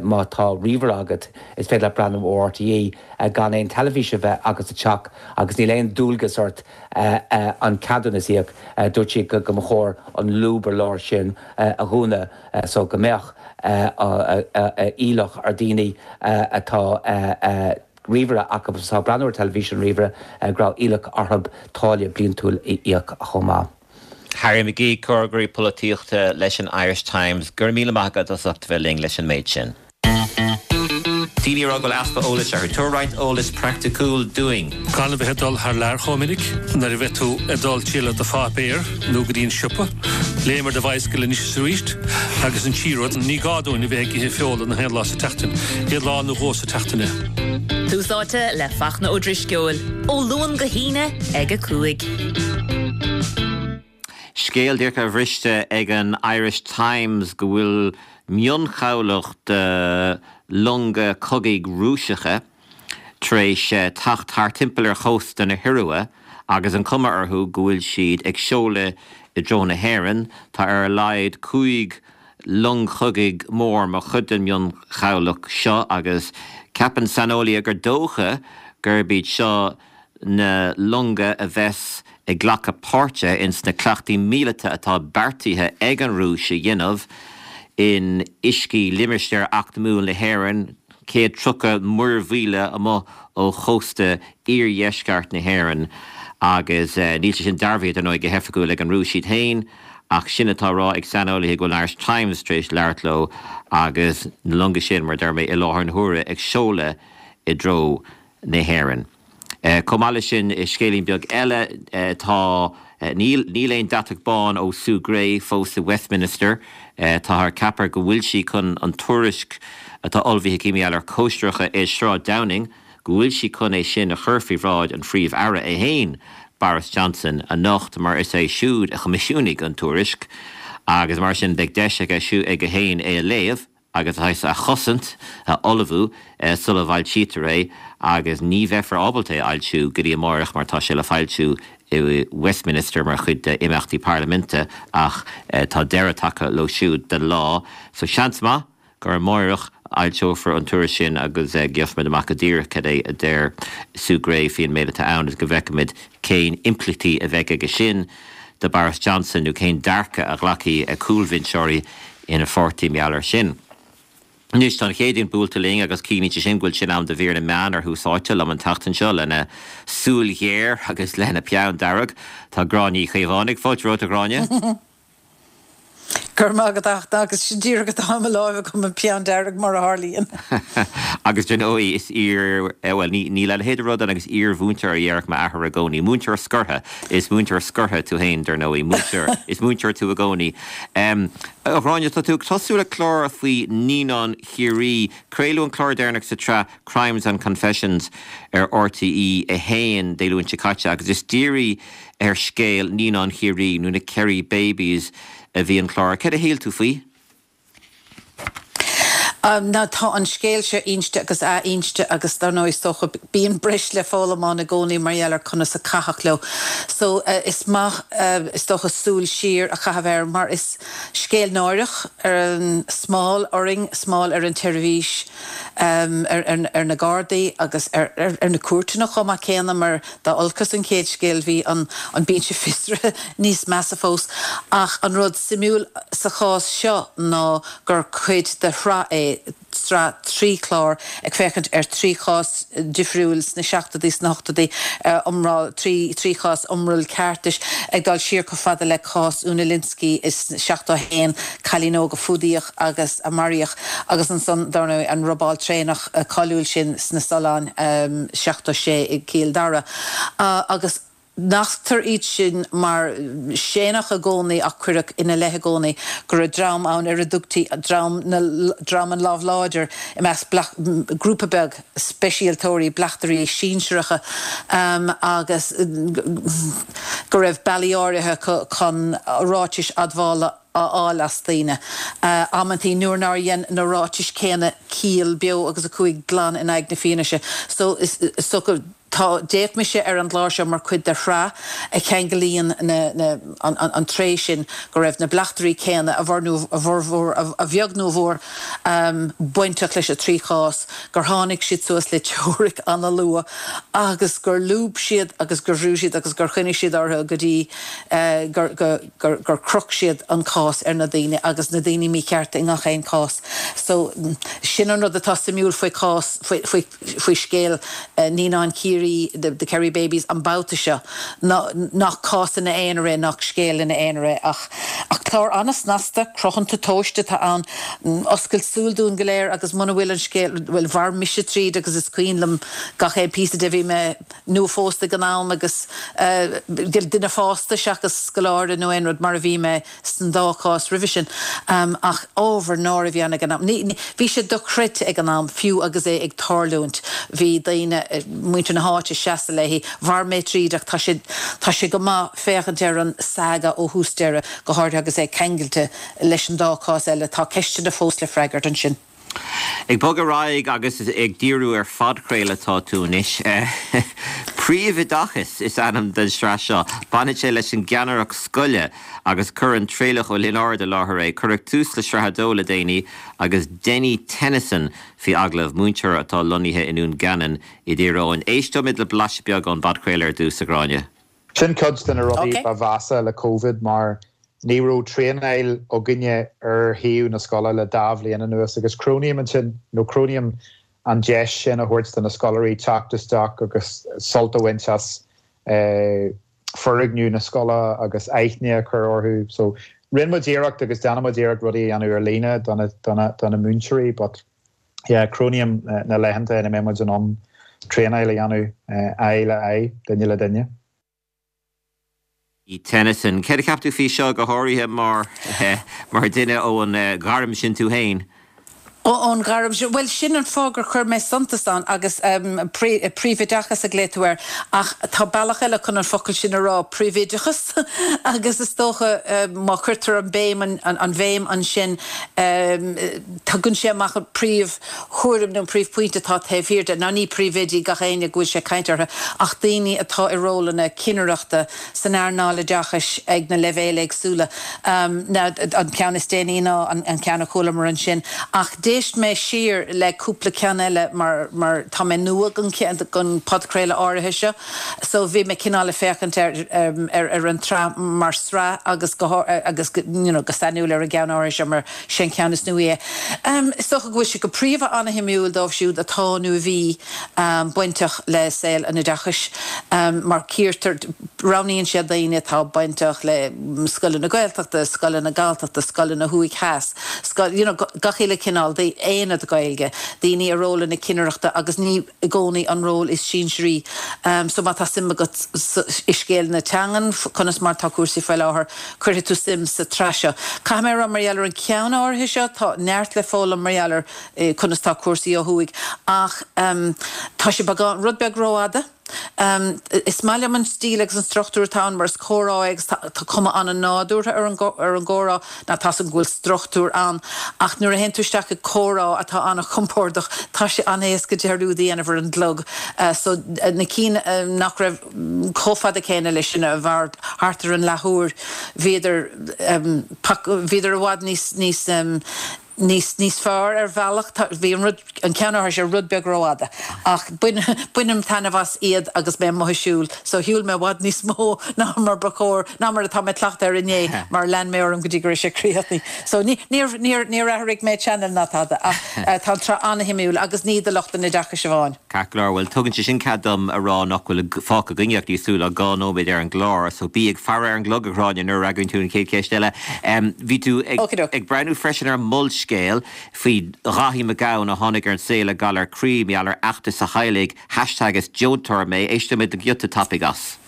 I: má tá ríomhaire agat, is féidir leat breathnú ar RTÉ gan aon teilifís a bheith agat sa teach agus níl aon dualgas ort an ceadúnas a íoc. Dúirt sí go mba chóir an lúb ar lár sin a dhúnadh so go mbeadh iallach ar daoine atá ríomhaire acu agus atá ag breathnú ar teilifís an ríomhaire go raibh iallach orthu táille bliantúil a íoc chomh maith.
A: Harry McGee, Comhfhreagraí Polaitíochta leis an Irish Times, go raibh míle maith agat as ucht a bheith linn leis an méid sin. Daoine a rá go bhfuil easpa eolais orthu. Tabhair roinnt eolais praiticiúil dúinn.
J: Gan a bheith ag dul thar lear chomh minic, nuair a bheidh tú ag dul triall ar do pháipéar nó go dtí an siopa, léim ar do bhicycle anois is arís agus an tríú rud, ní gá dúinn a bheith ag ithe feola na haon lá sa tseachtain, aon lá nó dhó sa tseachtain é.
H: Tús Áite le Fachtna Ó Drisceoil, ó Luan go hAoine ag a cúig.
A: Scéal díreach ar bhriste ag an Irish Times go bhfuil mionchabhlach de longa cogaidh Rúiseacha tar éis teacht thart timpeall ar chósta na hIorua agus an cuma orthu go bhfuil siad ag seoladh i dtreo na hÉireann. Tá ar a laghad cúig long chogaidh mór mar chuid den mionchabhlach seo agus ceapann saineolaithe gur dócha gurb iad seo na longa a bheas ag glacadh páirte ins na cleachtaí míleata atá beartaithe ag an Rúis a dhéanamh in uiscí limistéar eacnamúil na hÉireann, céad tríocha muirmhíle amuigh ó chósta iardheisceart na hÉireann. Agus níl sé sin dearbhaithe, dar ndóigh, go hoifigiúil ag an Rúis iad féin, ach sin atá á rá ag saineolaithe go bhfuil an Irish Times tar éis labhairt leo agus na longa sin, mar a deir mé, i láthair na huaire ag seoladh i dtreo na hÉireann. Chomh maith leis sin, scéilín beag eile, tá, níl, níl aon deatach bán ó Sue Gray fós i Westminster. Táthar ag ceapadh go bhfuil sí chun an tuairisc atá ullmhaithe aici mar gheall ar chóisireacha i Sráid Downing, go bhfuil sí chun é sin a chur faoi bhráid an Phríomh-Aire é féin, Boris Johnson, anocht mar is é siúd a choimisiúnaigh an tuairisc agus mar sin beidh deis aige aige féin é a léamh. agus a chosaint, a ullmhú sula bhfoilsítear é agus ní bheifear ábalta é a fhoilsiú go dtí amárach mar tá sé le foilsiú i Westminster mar chuid d'imeachtaí parlaiminte ach tá deireadh tagtha leo siúd don lá so seans maith gur amárach a fhoilseofar an tuairisc sin agus gheobhaimid amach go díreach cad é a deir Sue Gray faoin méid atá ann agus go bhfeicfimid cén impleachtaí a bheidh aige sin do Boris Johnson nó cén dearcadh a ghlacfaidh cúlbhinseoirí ina pháirtí mar gheall air sin. Anois tá an Chéadaoin buailte linn agus ciallaíonn sé sin go bhfuil sé in am do mhír na meán ar Thús Áite liom an tseachtain seo lena súil ghéar agus lena peann dearg. Tá Gráinne Uí Chaomhánaigh. Fáilte romhat a Ghráinne.
K: Go Go raibh maith agat agus sin díreach atá i mo láimh agam an peann dearg mar a tharlaíonn.
A: Agus dar ndóigh is iar bhuel ní níl a leithéid de rud ann agus iar-mhúinteoir a déarfadh m'athair i gcónaí. Múinteoir scortha is múinteoir scortha tú féin dar ndóigh múinteoir is múinteoir tú i gcónaí. Um, a Ghráinne tá tú ag tosú le clár faoi Naíonáin Chiarraí, Craoladh an clár deireanach sa tsraith Crimes and Confessions ar RTÉ a haon Dé Luain seo caite agus is dírithe ar scéal Naíonáin Chiarraí nó na Kerry Babies a bhí an clár. Céard a shíl tú faoi?
K: Um, ná tá an scéal seo inste agus athinste agus dar ndóigh is dócha bíonn breis le foghlaim ann i gcónaí mar gheall ar conas a caitheadh leo. So uh, is maith uh, is dócha súil siar a chaitheamh air mar is scéal náireach ar an smál orainn, smál ar an tseirbhís um, ar, ar, ar na Gardaí agus ar, ar, ar na cúirteanna chomh maith céanna mar dá olcas an chéad scéal bhí an, an binse fiosraithe níos measa fós ach an rud suimiúil sa chás seo ná gur cuid de shraith é sraith trí chlár ag féachaint ar trí chás difriúil sna seachtóidí sna hochtóidí iomrall trí trí chás iomrall ceartais ag dul siar chomh fada le cás Úna Lynskey is seachtó haon cailín óg a fuadaíodh agus a maraíodh agus ansan dar ndóigh an robáil traenach cáiliúil sin sna Solláin um, seachtó sé i gCill Dara. Uh, agus Nasctar iad sin mar séanadh i gcónaí ach cuireadh ina leith i gcónaí go raibh dream ann ar a dtugtaí dream dream an lámh láidir i measc grúpa beag speisialtóirí bleachtairí sinsearacha um, agus go raibh bealaí áirithe chun ráitis admhála a fháil as daoine. Uh, Amantaí nuair nár dhein na ráitis céanna ciall beo agus a chuaigh glan in aghaidh na fianaise. So is, is, so Tá d'fhéach mise ar an gclár seo mar chuid de shraith a cheanglaíonn an, an, an tréith sin go raibh na bleachtairí céanna a bhur a bhformhór a bheag nó a mhór um, bainteach leis an trí chás, gur tháinig siad suas le teoiric an-luath agus gur lúb siad agus gur bhrú siad agus gur choinnigh siad orthu go dtí uh, gur, gur, gur, gur chroch siad an cás ar na daoine agus na daoine míchearta i ngach aon chás. So sin an rud atá suimiúil faoi chás faoi, faoi, faoi scéal uh, Naíonáin Chiarraí the, the Kerry Babies an babhta seo nach cás ina aonar é nach scéal ina aonar é ach ach clár an-snasta cruthanta tomhaiste atá ann oscailt súl dúinn go léir agus muna bhfuil an scéal bhuel mhair mise tríd agus is cuimhin liom gach aon phíosa de bhí mé nuaphósta ag an am agus uh, duine fásta seachas scoláire nó aon rud mar a bhí mé san dá chás roimhe sin um, ach ábhar náire a bhí ann ag an am. Bhí sé dochreidte ag an am fiú agus é ag tarlúint bhí daoine eh, muintir na háite seasa léi mhair mé tríd ach tá sé tá sé go maith féachaint ar an saga ó thús deireadh go háirithe agus é ceangailte leis an dá chás eile tá ceisteanna fós le freagairt ansin.
A: Ag bogadh ar aghaidh agus ag díriú ar phodchraoladh atá tú anois. Príomhoideachas is ainm den sraith seo, baineann sé leis an gceannaireacht scoile agus cuireann Traolach Ó Lionáird i láthair é, cuireadh tús le sraith a dó le déanaí agus Denny Tennyson faoi agallamh múinteoir atá lonnaithe i nDún Geanainn i dTír Eoghain. Éisteoimid le blaiseadh beag ón bpodchraoladh ar dtús a Ghráinne.
L: Sin cuid de na rudaí ba mheasa le Covid mar ní raibh traenáil againne ar thaobh na scoile le dá bhliain anuas agus cronaím ansin nó cronaím an deis sin a thabhairt do na scoláirí teacht isteach agus sult a bhaint as eh, foirgneamh na scoile agus aithne a chur orthu. So rinne muid iarracht agus déanaimid iarracht rudaí a dhéanamh ar líne do na múinteoirí, but yeah, cronaím eh, na laethanta ina mbeidh muid in ann traenáil a dhéanamh eh, aghaidh le aghaidh duine le duine.
A: Tennyson, Céard a cheap tú faoi seo go háirithe mar mar duine ón ghairm sin tú féin.
K: ón ghairm sin well sin an fáth gur chuir mé suntas ann agus um, príomhoideachas a glaoigh tú air ach tá bealach eile chun an focal sin a rá príomhoideachas agus is dócha um, má chuirtear an béim an, an, an bhéim ansin um, tugann sé amach an príomhthuairim nó príomhphointe atá taobh thiar de ná ní príomhoidí gach éinne go bhfuil sé caint orthu ach daoine atá i rólanna cinnireachta san earnáil oideachais ag na leibhéil éagsúla um, ná an ceann is déanaí ná an, an ceann a chualamar ansin ach D'éist mé siar le cúpla ceann eile mar mar tá mé nua gon gon podchraoladh áirithe seo so bhí mé cineál ag féachaint ar ar ar an tsraith mar sraith agus go agus you know go sainiúil ar an gceann áirithe seo mar sin ceann is nuaí é. Um, is dócha go bhfuil sé go príomha an-shuimiúil dóibh siúd atá nó a bhí um, bainteach le saol an oideachais um, mar cíortar roghnaíonn siad daoine atá bainteach le scoileanna Gaeltachta, scoileanna Galltachta, scoileanna thuaidh theas, scoil you know, gach uile cineál de aonad Gaeilge, daoine i rólanna cinnireachta agus ní i gcónaí an ról is sinsearaí. Um, so má tá suim agat i scéal na teangan, conas mar tá cúrsaí faoi láthair, cuirfidh tú suim sa tsraith seo. Caithfidh mé a rá mar gheall ar an ceann áirithe seo, tá neart le foghlaim mar gheall ar eh, conas tá cúrsaí ó thuaidh ach um, tá sé beagán rud beag rófhada. Um, is maith liom an stíl agus an struchtúr atá ann mar is comhrá agus tá cuma an-nádúrtha ar an ar an gcomhrá ná tá an bhfuil struchtúr ann ach nuair a théann tú isteach i comhrá atá an-chompordach tá sé an-éasca dearúd a dhéanamh ar an gclog. Uh, so uh, na cinn uh, nach raibh chomh fada céanna leis sin a mhair thart ar an leathuair bhíodar um, bhíodar i bhfad níos níos um, níos níos fearr ar bhealach bhí an rud an ceann sé rud beag rófhada ach bainim taitneamh as iad agus mé amuigh ag siúl so shiúil mé i bhfad níos mó ná mar ba chóir ná mar atá mé cleachtaithe air inné mar lean mé orm go dtí go raibh sé críochnaithe so ní níor athraigh mé channel ná tada ach eh, tá tsraith an-shuimiúil agus ní do lucht an oideachais amháin.
A: Ceart go leor bhuel tugann sé sin cead dom a rá nach bhfuil fágtha againne ach níos lú ná dhá nóiméad ar an gclár, so bí ag faire ar an gclog a Ghráinne nuair a fhreagraíonn tú an chéad cheist eile. Bhí tú ag breathnú freisin ar Molscéal faoi Dhaithí Mac Gabhann a tháinig ar an saol le galar croí mar gheall ar fheachtas a theaghlaigh hashtag is deontóir mé éistfimid le giota tapaidh as.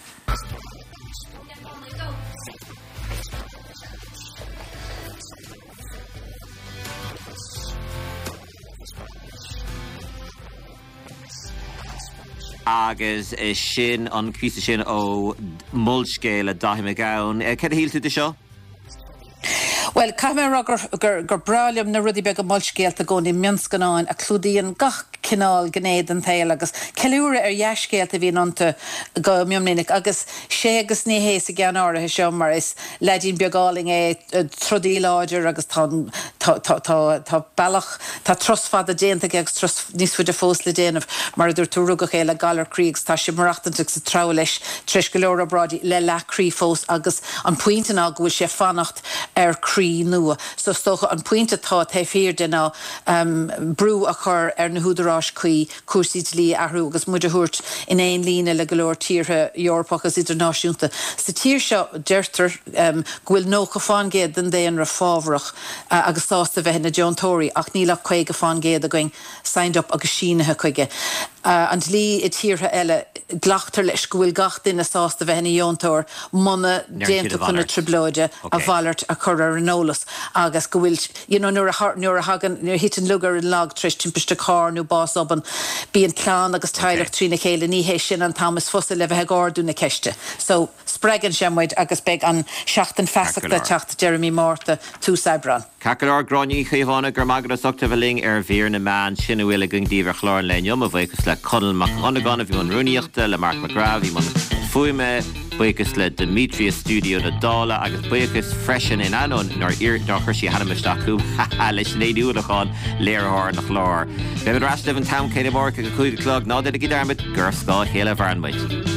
A: Agus sin an píosa sin ó Molscéal le Daithí Mac Gabhann. Céard a shíl tú de seo?
K: Bhuel, caithfidh mé a rá gur, gur, gur breá liom na rudaí beaga molscéalta i gcónaí, mionscannáin a chlúdaíonn gach cineál gné den tsaol agus ceiliúradh ar dhea-scéalta a bhíonn iontu go mion minic. Agus sé agus ní hé sa gceann áirithe seo mar is leaidín beag álainn é, trodaí láidir agus tá, tá, tá, tá, tá bealach, tá turas fada déanta aige agus turas níos faide fós le déanamh. Mar a dúirt tú, rugadh é le galar croí agus tá sé ag maireachtaint agus ag treabhadh leis tar éis go leor obráidí le leath croí fós agus an pointe ná go bhfuil sé ag fanacht ar chroí nua. So is dócha an pointe atá taobh thiar de ná brú a chur ar na húdaráis cuí cúrsaí dlí a athrú agus muid a thabhairt in aon líne le go leor tíortha Eorpacha agus idirnáisiúnta. Sa tír seo deirtear go bhfuil nócha fán gcéad den daonra fábharach agus sásta bheith ina deontóirí ach níl ach caoga fán gcéad againn signed up agus sínithe chuige. An dlí i tíortha eile, glactar leis go bhfuil gach duine sásta bheith ina dheontóir muna dtéann tú chun na trioblóide, a mhalairt a chur ar an eolas agus go bhfuil, you know, nuair a nuair a thagann, nuair a thiteann lug ar an lag tar éis timpiste cairr nó bás obann, bíonn clann agus teaghlach trína chéile, ní hé sin an t-am is fusa le bheith ag ardú na ceiste. So, spreagann sé muid agus beidh an Seachtain Feasachta ag teacht deireadh mí Márta, tús Aibreán.
A: Ceart go leor, Gráinne Ní Chaomhánaigh, go raibh maith agat as ucht a bheith linn ar Mhír na Meán. Sin a bhfuil againn daoibh ar chlár an lae inniu. Mo bhuíochas le Conall Mac Dhonnagáin a bhí i mbun rúnaíochta, le Mark McGrath a bhí i mbun fuaime, buíochas le Dimitri i stiúideo na Dála agus buíochas freisin, in ainneoin nár nár chuir sí a hainm isteach chugam, ha ha, le Sinéad Ní Uallacháin, léiritheoir an chláir. Beimid ar ais libh an t-am céanna amárach ag a cúig a chlog. Ná déanaigí dearmad gur ar scáth a chéile a mhaireann muid.